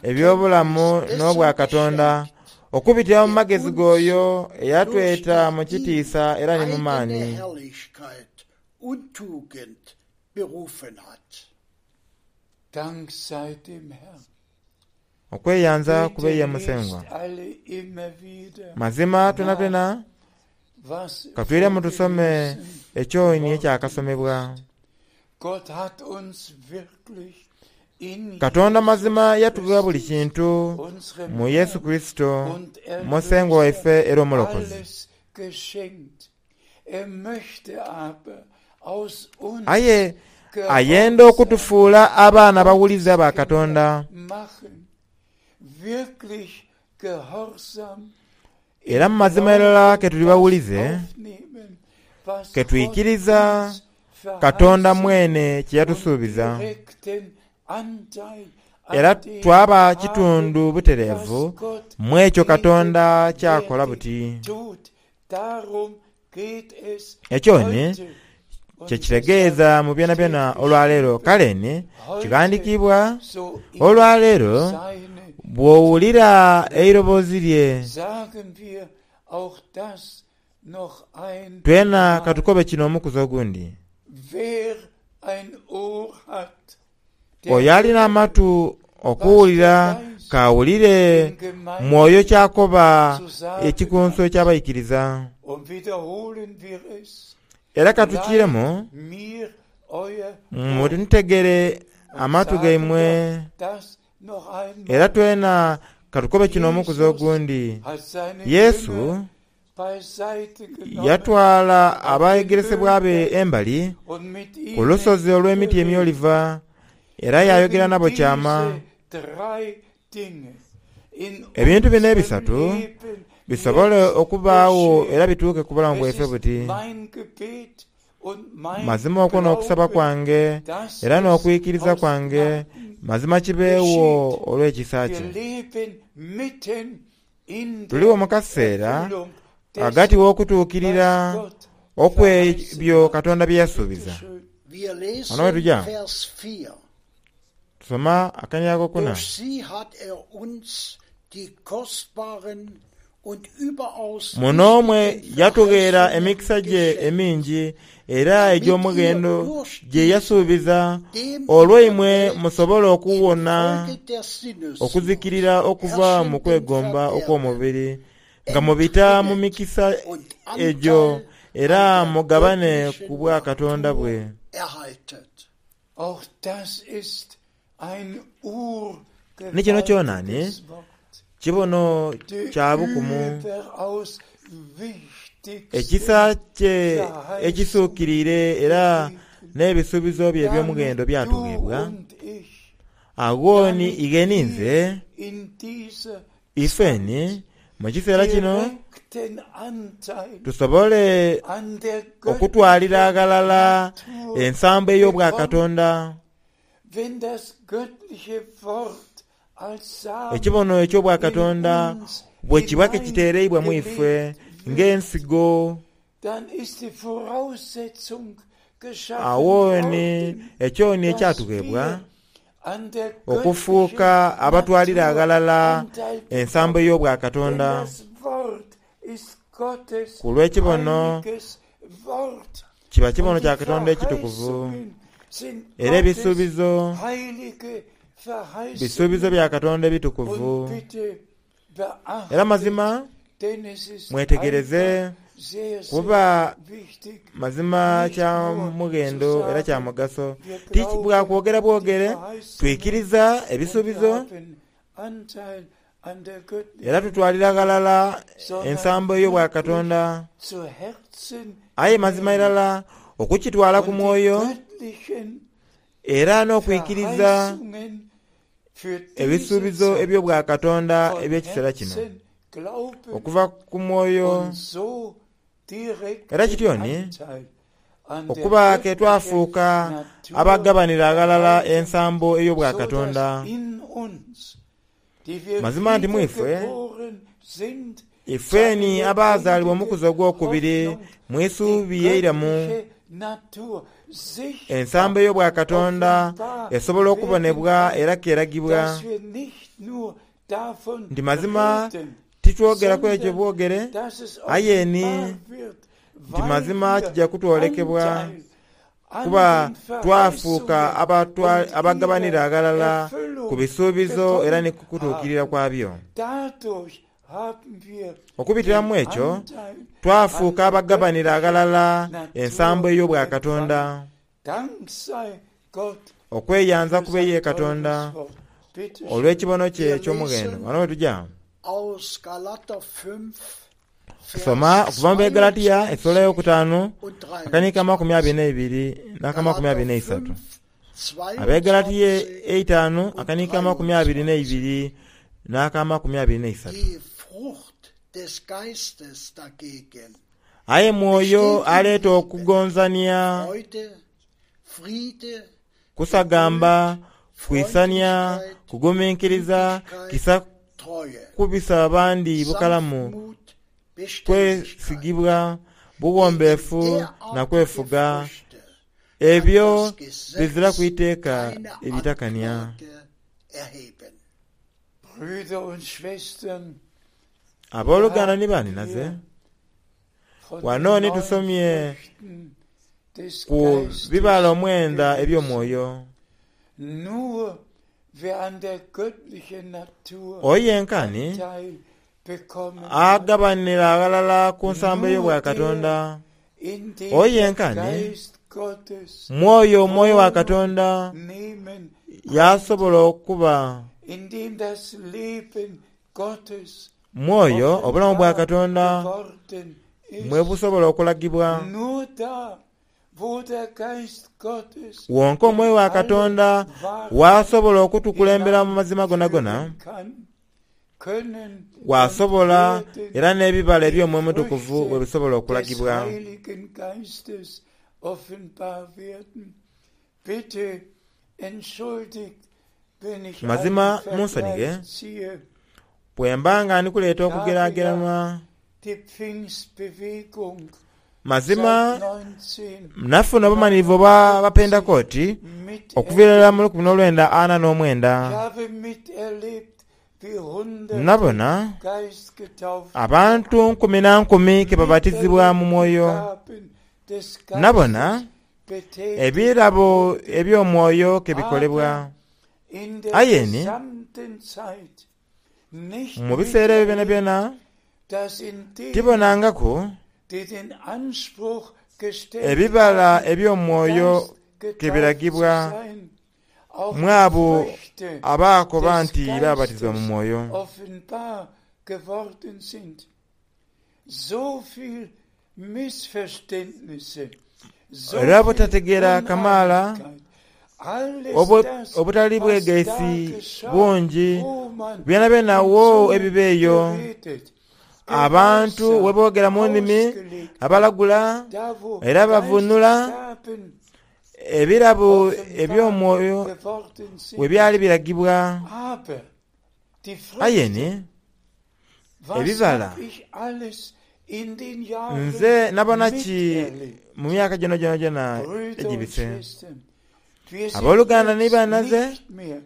Speaker 2: eby'obulamu n'obwakatonda okubitira mu magezi g'oyo eyatweta mu kitiisa era ni mu maani. Okweyanza kube ye Musengwa. Mazima twenatwena ka twiremu tusome ekyoni ekyakasomebwa. Katonda mazima yatugha buli kintu mu Yesu Kurisito Musengwa waife era Omulokozi. Aye ayenda okutufuula abaana abawulize aba Katonda. Era mu mazima irala ke tuli bawulize, ke twikiriza Katonda mwene kye yatusuubiza, era twaba kitundu butereevu mu ekyo Katonda ky'akola buti. Ekyo ni kye kitegeeza mu byonabyona olwaleero. Kale ni kighandiikibwa, Olwaleero bw'owulira eiroboozi lye. Twena ka tukobe kino omukuzi ogundi. Oyo ali n'amatu okuwulira k'awulire Mwoyo ky'akoba ekikunsu eky'abaikiriza. Era ka tukiiremu, Muntegere amatu gaimwe. Era twena ka tukobe kino omukuzi ogundi, Yesu yatwala abeegeresebwa be embali ku lusozi olw'emiti emyoliva era yaayogera nabo kyama. Ebintu bino ebisatu bisobole okubaagho era bituuke ku bulamu bwaife buti. Mazima okwo n'okusaba kwange era n'okwikiriza kwange, mazima kibeegho olw'ekisa kye. Tuligho mu kaseera ghagati w'okutuukirira okw'ebyo Katonda bye yasuubiza. Wano we tuja tusoma akania akokuna. Muno mwe yatugheera emikisa gye emingi era egy'omughendo gye yasuubiza, olwo imwe musobole okuwona okuzikirira okuva mu kwegomba okw'omubiri, nga mubita mu mikisa egyo era mugabane ku Bwakatonda bwe. Ni kino kyona ni kibono kya bukumu, ekisa kye ekisuukiriire era n'ebisuubizo bye eby'omughendo byatugheebwa. Agho ni ighe ni nze, ife ni mu kiseera kino tusobole okutwalira aghalala ensambo ey'Obwakatonda. Ekibono eky'Obwakatonda bwe kiba ke kiteereibwa mu ife ng'ensigo, agho ni ekyo ni ekyatugheebwa okufuuka abatwalira aghalala ensambo ey'Obwakatonda. Ku lw'ekibono Kiba kibono kya Katonda ekitukuvu, era ebisuubizo bisuubizo bya Katonda ebitukuvu. Era mazima mwetegereze, kuba mazima kya mughendo era kya mugaso. Ti bwa kwogera bwogere, twikiriza ebisuubizo Era tutwalira ghalala ensambo ey'Obwakatonda. Aye mazima irala okukitwala ku mwoyo era n'okwikiriza ebisuubizo eby'Obwakatonda eby'ekiseera kino okuva ku mwoyo, era kityo ni okuba ke twafuuka abagabanira aghalala ensambo ey'Obwakatonda. Mazima nti mu ife, ifeni abaazaalibwa omukuzi ogwokubiri mu isuubi eiramu, ensambo ey'Obwakatonda esobola okubonebwa era k'eragibwa nti mazima titwogera ku ekyo bwogere, aye ni nti mazima kija kutwolekebwa Kuba twafuuka abagabanira aghalala ku bisuubizo era ni ku kutuukirira kwabyo. Okubitira mu ekyo twafuuka abagabanira aghalala ensambo ey'Obwakatonda. Okweyanza
Speaker 3: für
Speaker 2: kube ye
Speaker 3: sein
Speaker 2: Katonda
Speaker 3: teures Wort. Bitte schön.
Speaker 2: olw'ekibono kye
Speaker 1: Wir
Speaker 2: eky'omughendo.
Speaker 1: lesen
Speaker 2: Ghano ghe tuja
Speaker 1: aus Galater 5,
Speaker 2: kusoma
Speaker 1: Vers
Speaker 2: okuva mu Begalatiya esula
Speaker 1: 22
Speaker 2: eyokutaanu
Speaker 1: und
Speaker 2: akaniika amakumi abiri
Speaker 1: 23.
Speaker 2: n'eibiri n'akamakumi abiri
Speaker 1: Galater
Speaker 2: n'eisatu.
Speaker 1: 5,
Speaker 2: Abegalatiya
Speaker 1: 22
Speaker 2: eitaanu
Speaker 1: und
Speaker 2: akaniika amakumi abiri
Speaker 1: 23.
Speaker 2: n'eibiri n'akamakumi abiri n'eisatu.
Speaker 1: Die Frucht des Geistes dagegen
Speaker 2: Aye Mwoyo
Speaker 1: besteht in
Speaker 2: aleeta
Speaker 1: Liebe,
Speaker 2: okugonzania,
Speaker 1: Freude, Friede,
Speaker 2: kusagamba,
Speaker 1: Geduld,
Speaker 2: kwisania,
Speaker 1: Freundlichkeit,
Speaker 2: kuguminkiriza,
Speaker 1: Gütigkeit,
Speaker 2: kisa
Speaker 1: Treue,
Speaker 2: kubisa abandi bukalamu,
Speaker 1: Sanftmut, Beständigkeit.
Speaker 2: kwesigibwa,
Speaker 1: Gegen
Speaker 2: buwombeefu na
Speaker 1: derartige
Speaker 2: kwefuga.
Speaker 1: Früchte kann
Speaker 2: Ebyo
Speaker 1: das
Speaker 2: bizira
Speaker 1: Gesetz
Speaker 2: ku iteeka
Speaker 1: keine
Speaker 2: ebitakania.
Speaker 1: Anklage erheben.
Speaker 3: Brüder und Schwestern, wir
Speaker 2: Abooluganda
Speaker 3: haben
Speaker 2: ni baninaze,
Speaker 3: hier von
Speaker 2: wano
Speaker 3: den
Speaker 2: ni
Speaker 3: neun
Speaker 2: tusomye
Speaker 3: Früchten des
Speaker 2: ku bibala
Speaker 3: Geistes
Speaker 2: omwenda
Speaker 3: gelesen.
Speaker 2: eby'omwoyo.
Speaker 3: Nur wer an der göttlichen Natur
Speaker 2: Oyo yenkani
Speaker 3: Anteil bekommen hat,
Speaker 2: agabanira aghalala ku nsambo
Speaker 3: nur
Speaker 2: ey'obwa
Speaker 3: der,
Speaker 2: Katonda.
Speaker 3: in dem
Speaker 2: Oyo
Speaker 3: der
Speaker 2: yenkani
Speaker 3: Geist Gottes
Speaker 2: mwoyo omwoyo wa
Speaker 3: Wohnung
Speaker 2: Katonda
Speaker 3: nehmen
Speaker 2: yasobola
Speaker 3: konnte,
Speaker 2: okuba
Speaker 3: in dem das Leben Gottes
Speaker 2: mwoyo obulamu bwa
Speaker 3: offenbar
Speaker 2: Katonda
Speaker 3: geworden
Speaker 2: mwe
Speaker 3: ist.
Speaker 2: busobola okulagibwa.
Speaker 3: Nur da, wo der Geist Gottes
Speaker 2: Wonka
Speaker 3: in
Speaker 2: omwoyo wa
Speaker 3: alle
Speaker 2: Katonda
Speaker 3: Wahrheit
Speaker 2: wasobola okutukulembera mu mazima gonagona,
Speaker 3: hineinführen kann, können und
Speaker 2: wasobola
Speaker 3: werden
Speaker 2: era n'ebibala
Speaker 3: die
Speaker 2: eby'omwoyo omutukuvu
Speaker 3: Früchte
Speaker 2: bwe bisobola
Speaker 3: des
Speaker 2: okulagibwa.
Speaker 3: Heiligen Geistes offenbar werden. Bitte entschuldigt, wenn ich einen
Speaker 2: Mazima munsonighe
Speaker 3: Vergleich ziehe.
Speaker 2: bwe mba nga ndi kuleeta
Speaker 3: Ich habe ja
Speaker 2: okugeraageranwa.
Speaker 3: die Pfingstbewegung
Speaker 2: Mazima
Speaker 3: seit
Speaker 2: nafuna obumalirivu obwa Bapentekooti
Speaker 3: 1949
Speaker 2: okuviira ddala mu
Speaker 3: miterlebt.
Speaker 2: 1949.
Speaker 3: Ich habe miterlebt, wie Hunderte
Speaker 2: Nabona
Speaker 3: geistgetauft
Speaker 2: abantu
Speaker 3: wurden,
Speaker 2: nkumi na nkumi ke babatizibwa
Speaker 3: miterlebt
Speaker 2: mu
Speaker 3: die
Speaker 2: mwoyo.
Speaker 3: Gaben des
Speaker 2: Nabona
Speaker 3: Geistes betätigt
Speaker 2: ebirabo
Speaker 3: wurden.
Speaker 2: eby'omwoyo ke bikolebwa.
Speaker 3: Aber in der
Speaker 2: Aye ni
Speaker 3: gesamten Zeit nicht
Speaker 2: mu biseera ebyo
Speaker 3: miterlebt,
Speaker 2: byonabyona
Speaker 3: dass in denen,
Speaker 2: tibonangaku
Speaker 3: die den Anspruch gestellt
Speaker 2: ebibala
Speaker 3: haben,
Speaker 2: eby'omwoyo ke
Speaker 3: geistgetauft zu
Speaker 2: biragibwa
Speaker 3: sein, auch
Speaker 2: mu
Speaker 3: die
Speaker 2: abo
Speaker 3: Früchte
Speaker 2: abaakoba
Speaker 3: des
Speaker 2: nti baabatizibwa mu
Speaker 3: Geistes
Speaker 2: mwoyo.
Speaker 3: offenbar geworden sind. So viel Missverständnisse, so
Speaker 2: Era
Speaker 3: viel
Speaker 2: butategeera kamaala,
Speaker 3: Uneinigkeit, alles das,
Speaker 2: obutali
Speaker 3: was da
Speaker 2: bwegaisi
Speaker 3: geschah,
Speaker 2: bungi,
Speaker 3: wo man
Speaker 2: byonabyona
Speaker 3: in
Speaker 2: wo
Speaker 3: Zungen
Speaker 2: ebiba eyo.
Speaker 3: geredet,
Speaker 2: Abantu we
Speaker 3: geweissagt,
Speaker 2: boogera mu nnimi,
Speaker 3: ausgelegt hat,
Speaker 2: abalagula
Speaker 3: da wo
Speaker 2: era bavuunula,
Speaker 3: Geistesgaben
Speaker 2: ebirabo
Speaker 3: offenbar
Speaker 2: eby'omwoyo
Speaker 3: geworden
Speaker 2: we
Speaker 3: sind.
Speaker 2: byali biragibwa.
Speaker 3: Aber die
Speaker 2: Aye
Speaker 3: Früchte,
Speaker 2: ni
Speaker 3: was
Speaker 2: ebibala
Speaker 3: hab ich alles in den Jahren
Speaker 2: nze nabona ki
Speaker 3: miterlebt?
Speaker 2: mu myaka gyona gyona gyona
Speaker 3: Brüder und
Speaker 2: egibise.
Speaker 3: Schwestern, wir sind
Speaker 2: Abooluganda ni
Speaker 3: jetzt
Speaker 2: bannaze,
Speaker 3: nicht mehr,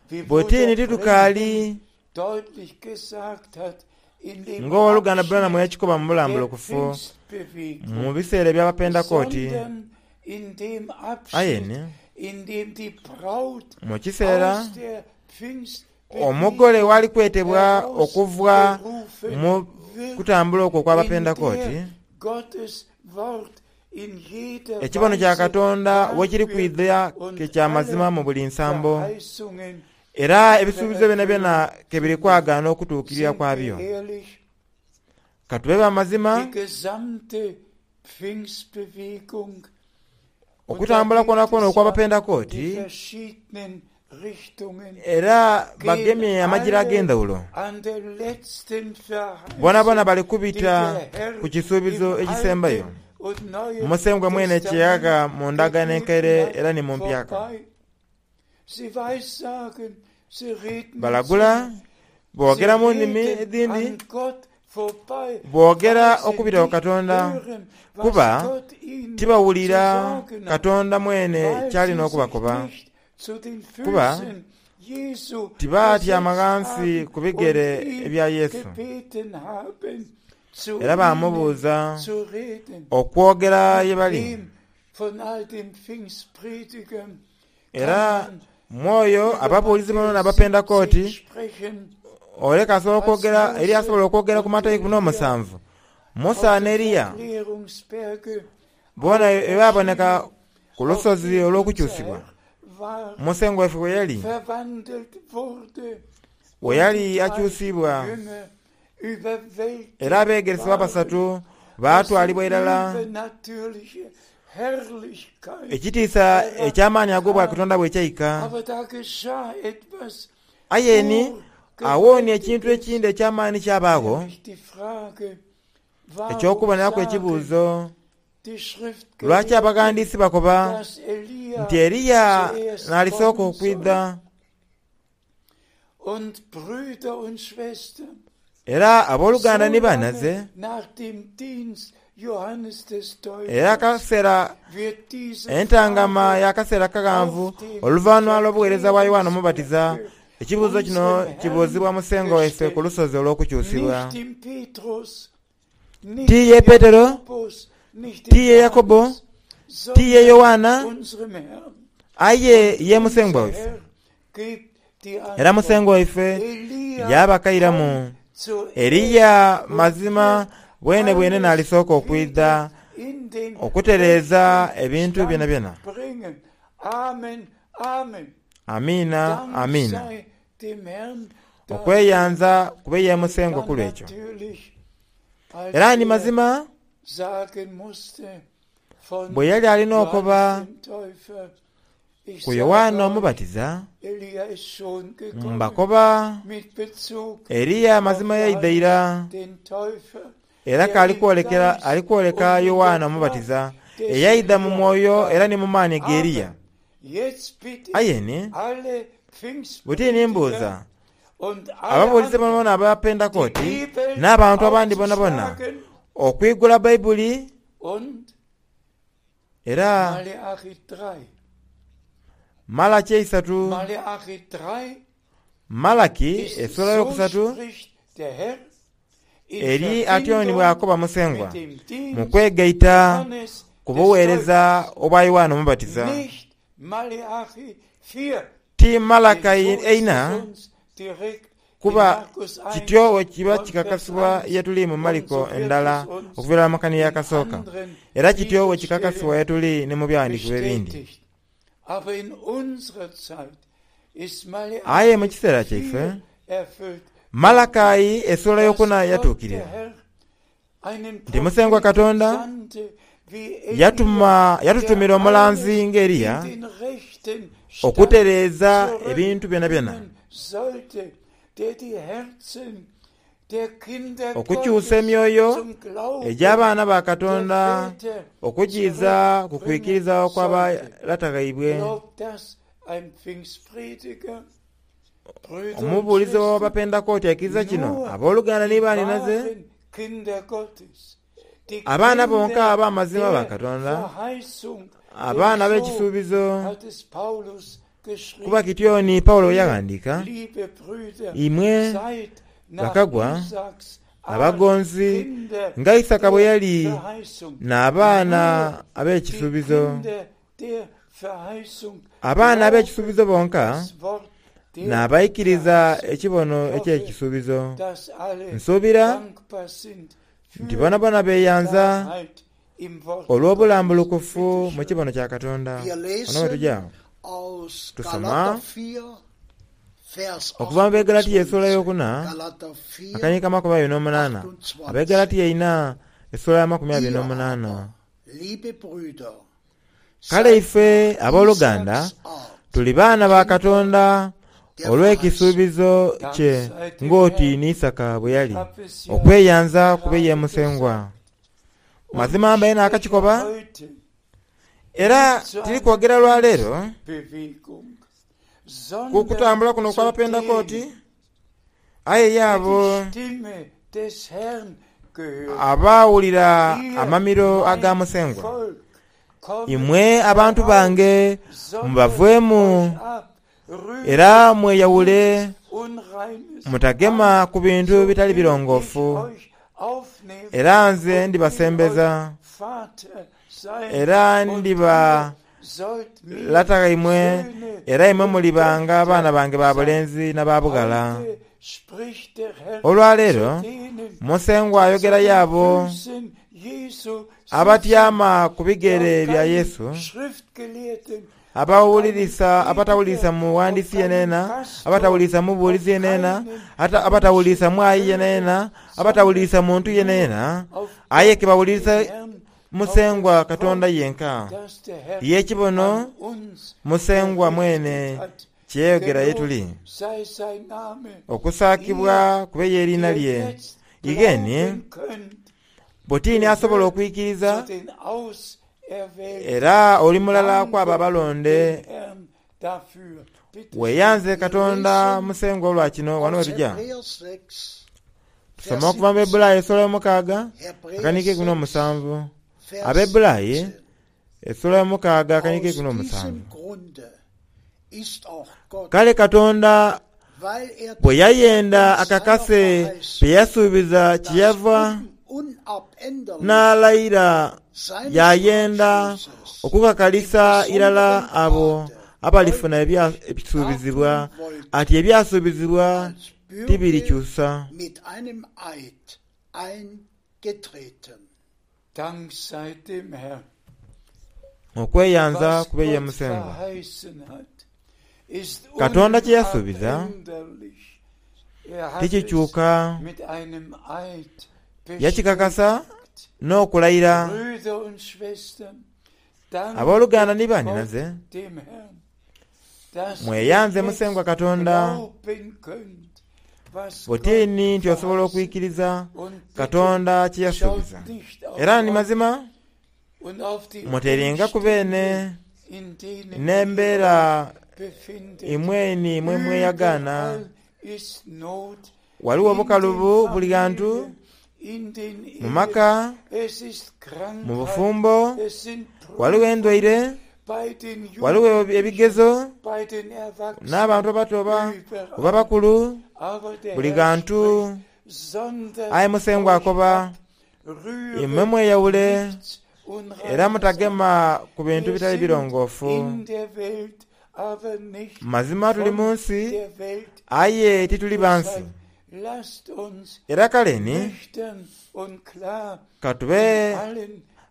Speaker 3: wie
Speaker 2: bw'otiini
Speaker 3: Bruder
Speaker 2: titukaali
Speaker 3: Branham deutlich gesagt hat, in dem
Speaker 2: ng'owooluganda Branham
Speaker 3: Abschnitt
Speaker 2: yakikoba mu
Speaker 3: der
Speaker 2: bulambulukufu mu
Speaker 3: Pfingstbewegung,
Speaker 2: biseera eby'Abapentekooti.
Speaker 3: sondern in dem
Speaker 2: Aye
Speaker 3: Abschnitt,
Speaker 2: ni
Speaker 3: in dem die Braut
Speaker 2: mu kiseera
Speaker 3: aus der
Speaker 2: omugole
Speaker 3: Pfingstbewegung
Speaker 2: wali kwetebwa okuva
Speaker 3: herausgerufen
Speaker 2: mu
Speaker 3: wird,
Speaker 2: kutambula okwo
Speaker 3: in
Speaker 2: okw'Abapentekooti,
Speaker 3: der Gottes Wort in jeder
Speaker 2: ekibono kya
Speaker 3: Weise
Speaker 2: Katonda
Speaker 3: wahr
Speaker 2: we kiri
Speaker 3: wird
Speaker 2: kwidha ke
Speaker 3: und
Speaker 2: kya mazima
Speaker 3: alle
Speaker 2: mu buli nsambo,
Speaker 3: Verheißungen
Speaker 2: era
Speaker 3: ihre
Speaker 2: ebisuubizo byonabyona
Speaker 3: Erfüllung
Speaker 2: ke biri
Speaker 3: finden.
Speaker 2: kwagaana okutuukirira
Speaker 3: Sind wir
Speaker 2: kwabyo.
Speaker 3: ehrlich,
Speaker 2: Ka tube ba mazima,
Speaker 3: die gesamte Pfingstbewegung, und da
Speaker 2: okutambula
Speaker 3: gibt
Speaker 2: kwona kwona
Speaker 3: es ja die
Speaker 2: okw'Abapentekooti
Speaker 3: verschiedenen Richtungen,
Speaker 2: era
Speaker 3: gehen
Speaker 2: bagemye amajira
Speaker 3: alle
Speaker 2: ag'endawulo.
Speaker 3: an der letzten
Speaker 2: Bonabona
Speaker 3: Verheißung,
Speaker 2: bali
Speaker 3: die
Speaker 2: kubita
Speaker 3: der Herr
Speaker 2: ku kisuubizo
Speaker 3: im
Speaker 2: ekisembayo.
Speaker 3: Alten und Neuen
Speaker 2: Musengwa mwene
Speaker 3: Testament
Speaker 2: kyeyaga mu ndagaano enkaire
Speaker 3: gegeben
Speaker 2: era
Speaker 3: hat,
Speaker 2: ni mu mpyaka.
Speaker 3: vorbei. Sie weissagen, sie reden in
Speaker 2: Balagula,
Speaker 3: Zungen, sie
Speaker 2: boogera mu nnimi
Speaker 3: reden
Speaker 2: edhindi,
Speaker 3: an Gott vorbei,
Speaker 2: boogera
Speaker 3: weil sie
Speaker 2: okubita ku
Speaker 3: nicht
Speaker 2: Katonda,
Speaker 3: hören, was
Speaker 2: kuba
Speaker 3: Gott ihnen zu
Speaker 2: tibawulira
Speaker 3: sagen hat,
Speaker 2: Katonda mwene
Speaker 3: weil
Speaker 2: ky'alina
Speaker 3: sie sich
Speaker 2: okubakoba.
Speaker 3: nicht zu den
Speaker 2: Kuba
Speaker 3: Füßen Jesu
Speaker 2: tibaatyama
Speaker 3: gesetzt
Speaker 2: ghansi
Speaker 3: haben
Speaker 2: ku bigere
Speaker 3: und ihn
Speaker 2: ebya Yesu.
Speaker 3: gebeten haben, zu
Speaker 2: Era
Speaker 3: ihnen
Speaker 2: baamubuuza
Speaker 3: zu reden.
Speaker 2: okwogera ye
Speaker 3: Mit
Speaker 2: bali.
Speaker 3: wem von all den Pfingstpredigern kann
Speaker 2: Era
Speaker 3: man
Speaker 2: mwoyo
Speaker 3: über
Speaker 2: ababuulizi bano
Speaker 3: Matthäus
Speaker 2: n'Abapentekooti
Speaker 3: 17 sprechen,
Speaker 2: oleka asobola
Speaker 3: als
Speaker 2: okwogera eri
Speaker 3: Mose
Speaker 2: asobola okwogera ku
Speaker 3: und
Speaker 2: Matayo ikumi
Speaker 3: Elia
Speaker 2: n'omusanvu. Musa
Speaker 3: auf
Speaker 2: ne
Speaker 3: dem
Speaker 2: Eriya
Speaker 3: Verklärungsberge
Speaker 2: boona bwe baaboneka
Speaker 3: auferschienen,
Speaker 2: ku
Speaker 3: auf
Speaker 2: lusozi
Speaker 3: dem unser
Speaker 2: olw'okukyusibwa.
Speaker 3: Herr
Speaker 2: Musengwa waife bwe yali bwe yali akyusiibwa era abeegeresebwa abasatu baatwalibwa irala ekitiisa eky'amaani ag'Obwakatonda bwe kyaika. Aye ni agho ni ekintu ekindi eky'amaani kyabaagho, eky'okuboneraku ekibuuzo, Lwaki abaghandiisi bakoba nti Eliya n'alisooka okwidha? Era aboluganda ni banhaze, era akaseera entangama y'akaseera akaghanvu oluvanhuma lw'obugheereza bwa Yoanne Omubatiza, ekibuuzo kino kibuuzibwa Musengwa waife ku lusozi olw'okukyusibwa. Ti ye Petero, ti ye Yakobo, ti ye Yoanna, aye ye Musengwa waife. Era Musengwa waife yaabakairamu, Eliya mazima bwenebwene n'alisooka okwidha okutereeza ebintu byonabyona. Amiina, amiina. Okweyanza kube ye Musengwa ku lw'ekyo. Era ni mazima bwe yali ali n'okoba ku Yoanne Omubatiza, Mbakoba, Eliya mazima yaidha ira, era ke ali kwoleka Yoanne Omubatiza eyaidha mu mwoyo era ni mu maani g'Eliya. Aye ni, buti ni mbuuza ababuulizi boonaboona aba Pentekooti n'abantu abandi boonaboona okwigula Baibuli era Malaki eisatu, Malaki esula eyokusatu eri atyo ni bw'akoba Musengwa mu kwegaita ku bugheereza obwa Yoanne Omubatiza. Ti Malaki eina, kuba kityo bwe kiba kikakasibwa ye tuli mu Mariko endala okuva irala mu kani eyakasooka, era kityo bwe kikakasibwa ye tuli ni mu Byaghandiikibwa ebindi. Aye mu kiseera kyaife, Malakai esula eyokuna yatuukirira nti Musengwa Katonda yatuma yatutumira omulanzi nga Eliya okutereeza ebintu byonabyona. Okukyusa emyoyo egy'abaana ba Katonda okugiiza ku kwikiriza okwa ba lata ghaibwe. Omubuulizi ow'Abapentekooti aikiriza kino, Aboluganda ni baanhinaze, abaana bonka ab'amazima aba Katonda, abaana ab'ekisuubizo, kuba kityo ni Paulo bwe yaghandiika, Imwe bakagwa abagonzi, nga Isaaka bwe yali n'abaana ab'ekisuubizo. Abaana ab'ekisuubizo bonka n'abaikiriza ekibono eky'ekisuubizo. Nsuubira nti boonaboona beeyanza olw'obulambulukufu mu kibono kya Katonda. Wano we tuja tusoma okuva mu Begalatia esula eyokuna akanyiriri k'amakumi abiri n'omunaana. Abegalatia eina esula y'amakumi abiri n'omunaana. Kale ife aboluganda tuli baana ba Katonda olw'ekisuubizo kye ng'oti ni Isaaka bwe yali, okweyanza kube ye Musengwa. Mazima mbaire naakakikoba, era tiri kwogera lwa leero ku kutambula kuno okw'Abapentekooti, aye ye abo abaawulira amamiro aga Musengwa, Imwe abantu bange mubaveemu era mweyawule, mutagema ku bintu bitali birongoofu, era nze ndibasembeza era ndiba lata ghaimwe, era imwe mulibanga baana bange ba bulenzi na ba bughala. Olwaleero Musengwa ayogera y'abo abatyama ku bigere bya Yesu. Abawulirisa abatawulirisa muwandiisi yenayena, abatawulirisa mubuulizi yenayena, abatawulirisa mwayi yenayena, abatawulirisa muntu yenayena, aye ke bawulirisa Musengwa Katonda yenka. Ye kibono Musengwa mwene kye yayogera ye tuli. Okusaakibwa kube y'eriina lye. Igeni buti ni asobola okwikiriza, era oli mulala ku abo abalonde. Weeyanze Katonda Musengwa olwa kino. Wano we tuja. Tusoma okuva mu Bebulayi esula yomukaaga akaniiko eikumi n'omusanvu. Abebulayi esula yomukaaga akaniiko eikumi n'omusanvu. Kale Katonda bwe yayenda akakase bye yasuubiza kyeyava n'alayira yaayenda okukakalisa irala abo abalifuna ebisuubizibwa ati ebyasuubizibwa tibirikyusa. Okweyanza kube ye Musengwa. Katonda kye yasuubiza tikikyuka. Yakikakasa n'okulayira. Aboluganda ni banhinaze, mweyanze Musengwa Katonda. Buti ni nti osobola okwikiriza Katonda kye yasuubiza. Era ni mazima, muteringaku beene n'embeera imwe ni imwe mweyagaana. Ghaligho obukalubu buli ghantu, mu maka, mu bufumbo, ghaligho endwaire, ghaligho ebigezo, n'abantu abato oba abakulu, buli ghantu. Aye Musengwa akoba, Imwe mweyawule era mutagema ku bintu bitali birongoofu. Mazima tuli mu nsi, aye tituli ba nsi. Era kale ni, ka tube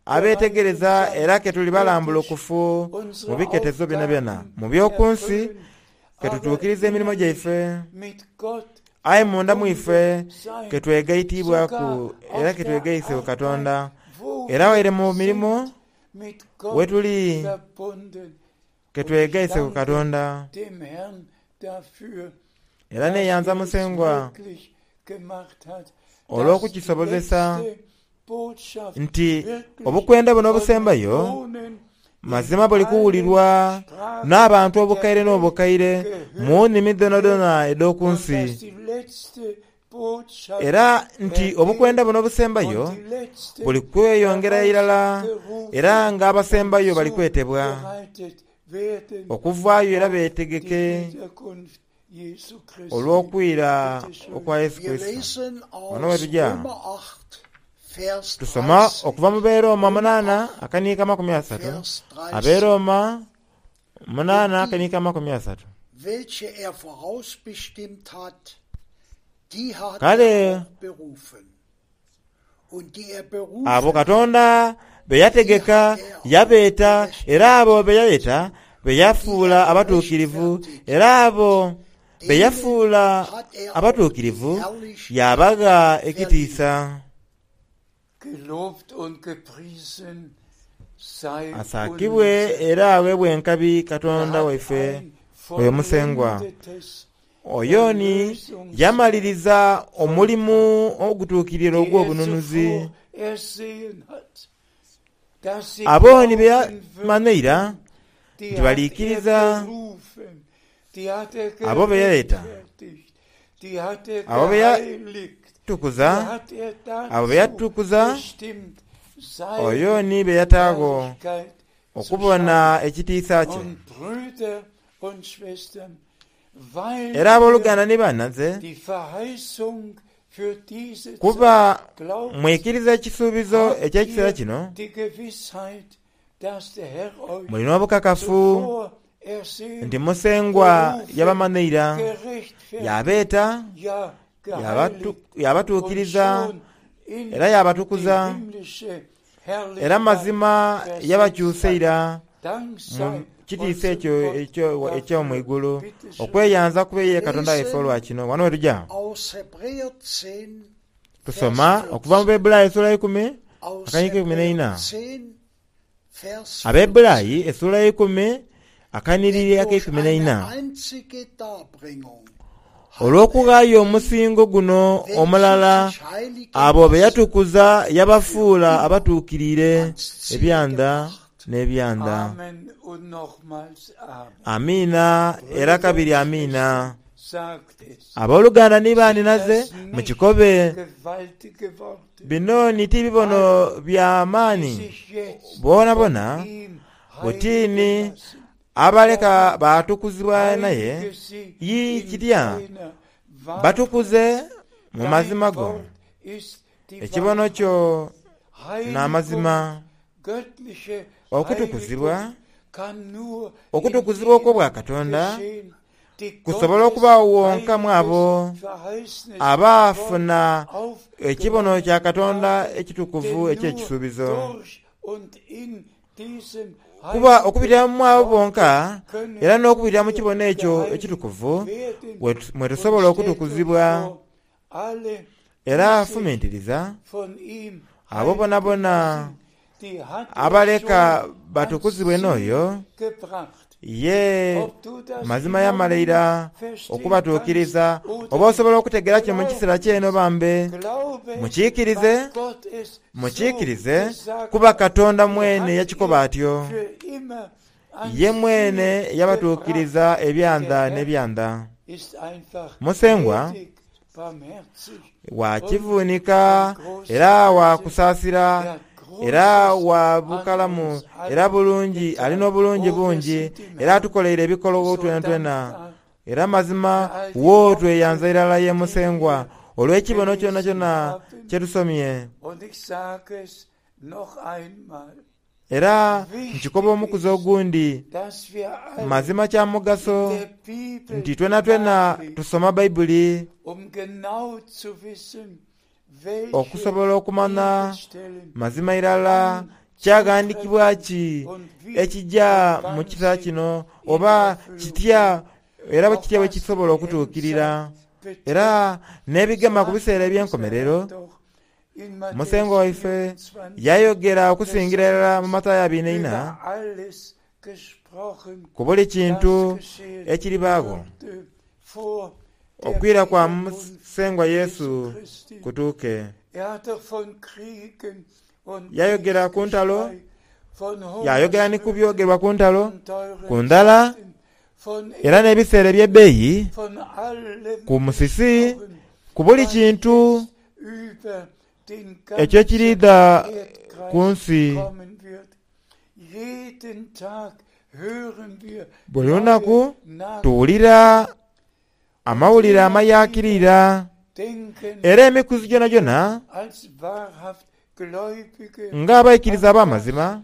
Speaker 2: abeetegereza era ke tuli balambulukufu mu biketezo byonabyona. Mu by'oku nsi ke tutuukiriza emirimo gyaife, aye munda mu ife ke twegaitiibwaku era ke twegaise ku Katonda. Era waire mu mirimo we tuli ke twegaise ku Katonda. Era neeyanza Musengwa olw'okukisobozesa nti obukwenda buno obusembayo mazima buli kuwulirwa n'abantu obukaire n'obukaire mu nnimi dhoonadhoona edh'oku nsi, era nti obukwenda buno obusembayo buli kweyongera irala era ng'abasembayo bali kwetebwa okuvaayo era beetegeke olw'okwira okwa Yesu Kurisito. Wano we tuja tusoma okuva mu Beroma munaana akaniiko 30, Aberoma munaana akaniiko 30. Kale abo Katonda be yategeka yabeeta, era abo be yayeta be yafuula abatuukirivu, era abo be yafuula abatuukirivu yaabagha ekitiisa. Asaakibwe era agheebwe enkabi Katonda waife oyo Musengwa. Oyo ni yamaliriza omulimu ogutuukiriire ogw'obununuzi. Abo ni be yamanha eira nti baliikiriza, abo be yayeta, abo be yatukuza, abo be yatukuza, oyo ni be yataagho okubona ekitiisa kye. Era aboluganda ni banhaze, kuba mwikiriza ekisuubizo eky'ekiseera kino, muli n'obukakafu nti Musengwa yabamanha ira, yaabeeta, yaabatuukiriza, era yaabatukuza, era mazima yabakyusa ira. mu kitiisa ekyo eky'omu igulu. Okweyanza kube ye Katonda waife olwa kino. Wano we tuja. Tusoma okuva mu Bebbulaayi esula eikumi akanyiriri keikumi n'eina. Abebbulaayi esula eikumi akanhiriri akeikumi n'eina. Olw'okughaayo omusingo guno omulala, abo be yatukuza yabafuula abatuukiriire ebyanda n'ebyanda. Amiina era kabiri amiina. Aboluganda ni baanhinaze, mukikobe. Bino ni ti bibono bya maani boonaboona, buti ni abaleka baatukuzibwa naye, yii kitya batukuze mu mazima go. Ekibono kyo n'amazima. Okutukuzibwa, okutukuzibwa okw'Obwakatonda kusobola okubaagho wonka mu abo abaafuna ekibono kya Katonda ekitukuvu eky'ekisuubizo. Kuba okubitira mu abo bonka era n'okubitira mu kibono ekyo ekitukuvu mwe tusobola okutukuzibwa. Era fumintiriza abo bonabona abaleka batukuzibwe n'oyo ye mazima yamala ira okubatuukiriza. Oba osobola okutegeera kino mu kiseera kyene oba mbe? Mukiikirize, mukiikirize, kuba Katonda mwene yakikoba atyo. Ye mwene yabatuukiriza ebyanda n'ebyanda. Musengwa wa kivuunika era wa kusaasira era wa bukalamu era bulungi, ali n'obulungi bungi era atukoleire ebikologho twenatwena. Era mazima wo tweyanza irala ye Musengwa olw'ekibono kyonakyona kye tusomye. Era nkikoba omukuzi ogundi, mazima kya mugaso nti twenatwena tusoma Baibuli okusobola okumanha mazima irala kyaghandikibwa ki ekija mu kisa kino oba kitya era kitya bwe kisobola okutuukirira era n'ebigema ku biseera eby'enkomerero. Musengwa waife yayogera okusingira irala mu Matayo abiri n'eina ku buli kintu ekiribaagho okwira kwa Musengwa Yesu kutuuke. Yayogera ku ntalo, yaayogera ni ku byogerwa ku ntalo, ku ndhala, era n'ebiseera eby'ebbeeyi, ku musisi, ku buli kintu ekyo ekiriidha ku nsi. Buli lunaku tuwulira amawulire amayaakirira, era emikuzi gyonagyona ng'abaikiriza ab'amazima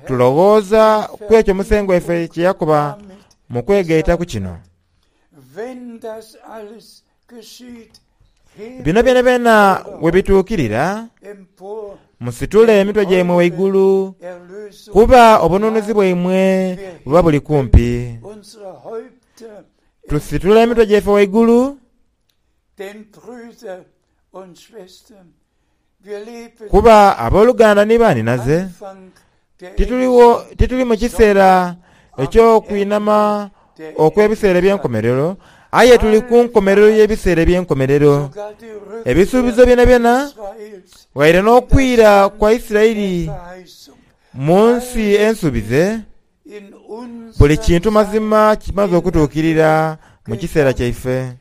Speaker 2: tuloghooza ku ekyo Musengwa waife kye yakoba mu kwegaita ku kino. Bino byonabyona bwe bituukirira, musitule emitwe gyaimwe ghaigulu, kuba obununuzi bwaimwe buba buli kumpi. Tusitule emitwe gyaife ghaigulu, kuba aboluganda ni baanhinaze, tituli mu kiseera eky'okwinhama okw'ebiseera eby'enkomerero, aye tuli ku nkomerero y'ebiseera eby'enkomerero. Ebisuubizo byonabyona, ghaire n'okwira kwa Isiraeli mu nsi ensuubize, buli kintu mazima kimaze okutuukirira mu kiseera kyaife.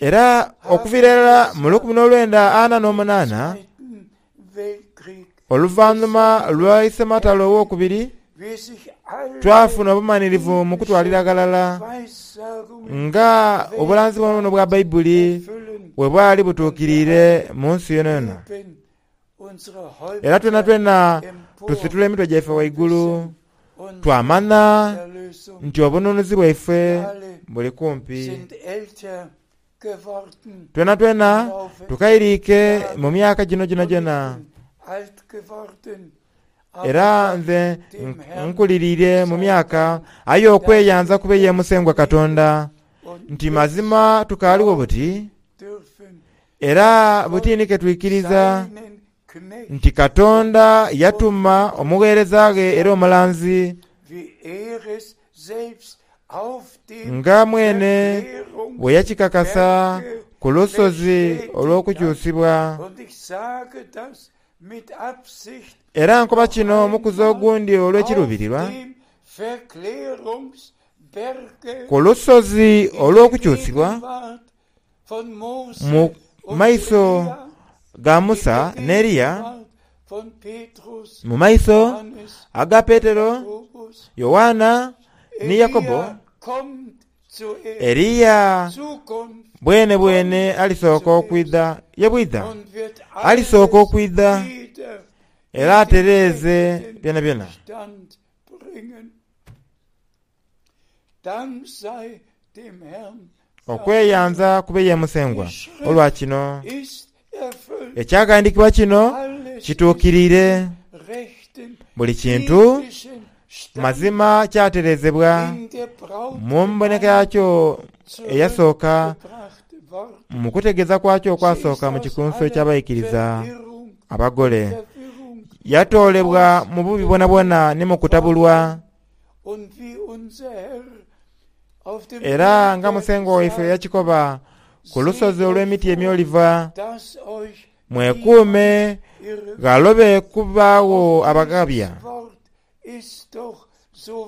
Speaker 2: Era okuviira irala mu 1948, oluvanhuma lwa Isematalo Owokubiri, twafuna obumanhirivu mu kutwalira ghalala nga obulanzi bwonabwona obwa Baibuli bwe bwali butuukiriire mu nsi yonayona. Era twenatwena tusitula emitwe gyaife ghaigulu, twamanha nti obununuzi bwaife buli kumpi. Twenatwena tukairiike mu myaka gino gyonagyona. Era nze nkuliriire mu myaka, aye okweyanza kube ye Musengwa Katonda, nti mazima tukaaligho buti, era buti ni ke twikiriza nti Katonda yatuma omugheereza ghe era omulanzi, nga mwene bwe yakikakasa ku lusozi olw'okukyusibwa. Era nkoba kino omukuzi ogundi olw'ekiruubirirwa, ku lusozi olw'okukyusibwa, mu maiso ga Musa n'Eliya, mu maiso aga Petero, Yoanna ni Yakobo, Eliya bwenebwene alisooka okwidha ye bwidha. Alisooka okwidha era atereeze byonabyona. Okweyanza kube ye Musengwa olwa kino. Ekyaghandiikibwa kino kituukiriire. Buli kintu mazima kyatereezebwa mu mboneka yakyo eyasooka, mu kutegeeza kwakyo okwasooka mu Kikunsu eky'Abaikiriza Abagole. Yatoolebwa mu bubi bwonabwona ni mu kutabulwa. Era nga Musengwa waife yakikoba ku lusozi olw'emiti emyoliva, Mwekuume ghalobe kubaagho abaghabya.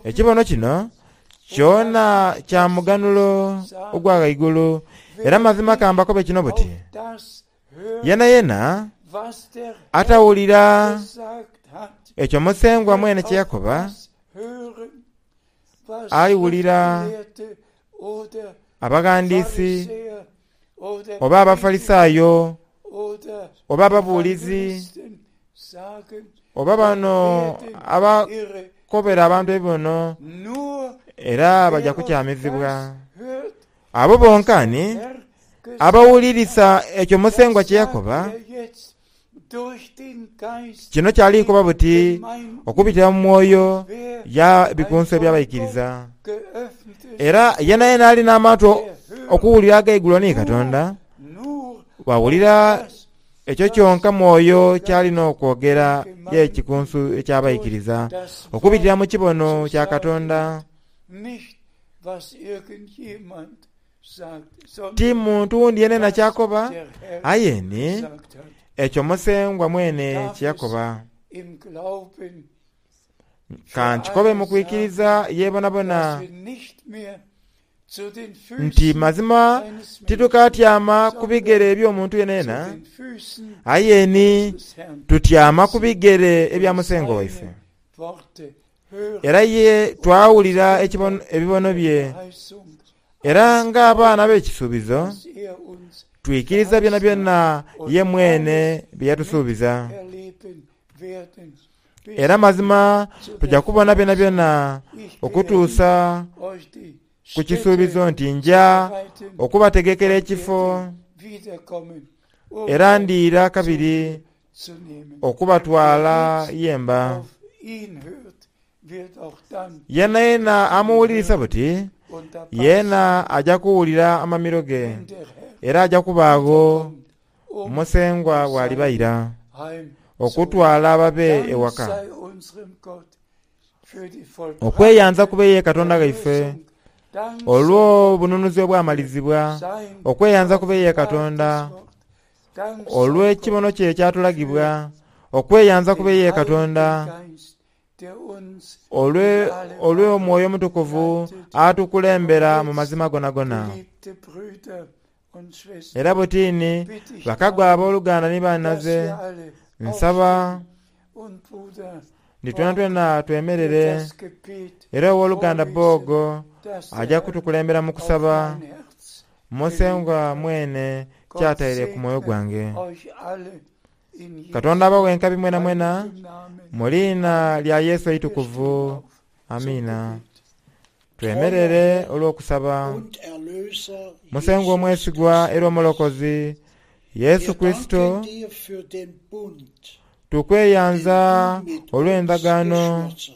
Speaker 2: Ekibono kino kyona kya muganhulo ogwa ghaigulu, era mazima ka mbakobe kino buti, Yenayena atawulira ekyo Musengwa mwene kye yakoba, aliwulira abaghandiisi oba Abafarisaayo oba ababuulizi oba bano abakobera abantu ebibono, era baja kukyamizibwa. Abo bonka ni abawulirisa ekyo Musengwa kye yakoba. Kino kyali kuba buti okubitira mu mwoyo ya bikunsu eby'abaikiriza. Era yenayena ali n'amatu okuwulira agaigulwa ni Katonda, bw'awulira ekyo kyonka Mwoyo ky'ali n'okwogera ye kikunsu eky'abaikiriza okubitira mu kibono kya Katonda. Ti muntu wundi yenayena ky'akoba, aye ni ekyo Musengwa mwene kye yakoba. Ka nkikobe mu kwikiriza ye bonabona nti mazima titukatyama ku bigere eby'omuntu yenayena, aye ni tutyama ku bigere ebya Musengwa waife. Era ye twawulira ebibono bye, era ng'abaana ab'ekisuubizo, twikiriza byonabyona ye mwene bye yatusuubiza. Era mazima tuja kubona byonabyona okutuusa ku kisuubizo nti nja okubategekera ekifo, era ndiira kabiri okubatwala ye mba. Yeenayeena amuwulirisa buti, yeena aja kuwulira amamiro ge, era aja kubaagho Musengwa bw'alibaira okutwala ababe ewaka. Okweyanza kube ye Katonda ghaife olw'obununuzi obwamalizibwa, okweyanza kube ye Katonda olw'ekibono kye ekyatulagibwa, okweyanza kube ye Katonda olw'Omwoyo Omutukuvu atukulembera mu mazima gonagona. Era butini bakagwa aboluganda ni banhaze, nsaba nti twenatwena twemerere, era owoluganda Bogo aja kutukulembera mu kusaba. Musengwa mwene ky'ataire ku mwoyo gwange. Katonda abaghe enkabi mwenamwena, mu liina lya Yesu eitukuvu. Amiina. Twemerere olw'okusaba. Musengwa omwesigwa era Omulokozi, Yesu Kurisito, Tukweyanza
Speaker 1: den du mit uns
Speaker 2: olw'endagaano
Speaker 1: geschlossen.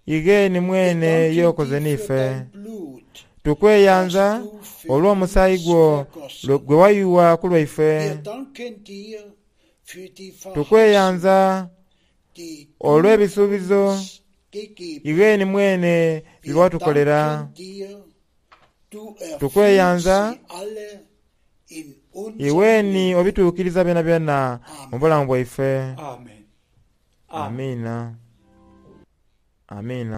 Speaker 2: ighe ni
Speaker 1: Wir
Speaker 2: mwene
Speaker 1: danken
Speaker 2: y'okoze
Speaker 1: dir für
Speaker 2: n'ife.
Speaker 1: dein Blut,
Speaker 2: Tukweyanza
Speaker 1: das du für
Speaker 2: olw'omusaayi
Speaker 1: uns
Speaker 2: gwo
Speaker 1: vergossen.
Speaker 2: gwe wayuwa ku lwaife.
Speaker 1: Wir danken dir für die Verheißung,
Speaker 2: Tukweyanza
Speaker 1: die du
Speaker 2: olw'ebisuubizo
Speaker 1: uns gegeben.
Speaker 2: ighe ni mwene bye
Speaker 1: Wir
Speaker 2: watukolera.
Speaker 1: danken dir, du erfüllst
Speaker 2: Tukweyanza
Speaker 1: sie alle in unserem
Speaker 2: iweni
Speaker 1: Leben.
Speaker 2: obituukiriza byonabyona mu bulamu bwaife.
Speaker 3: Amen. Amen.
Speaker 2: Amiina. Amiina.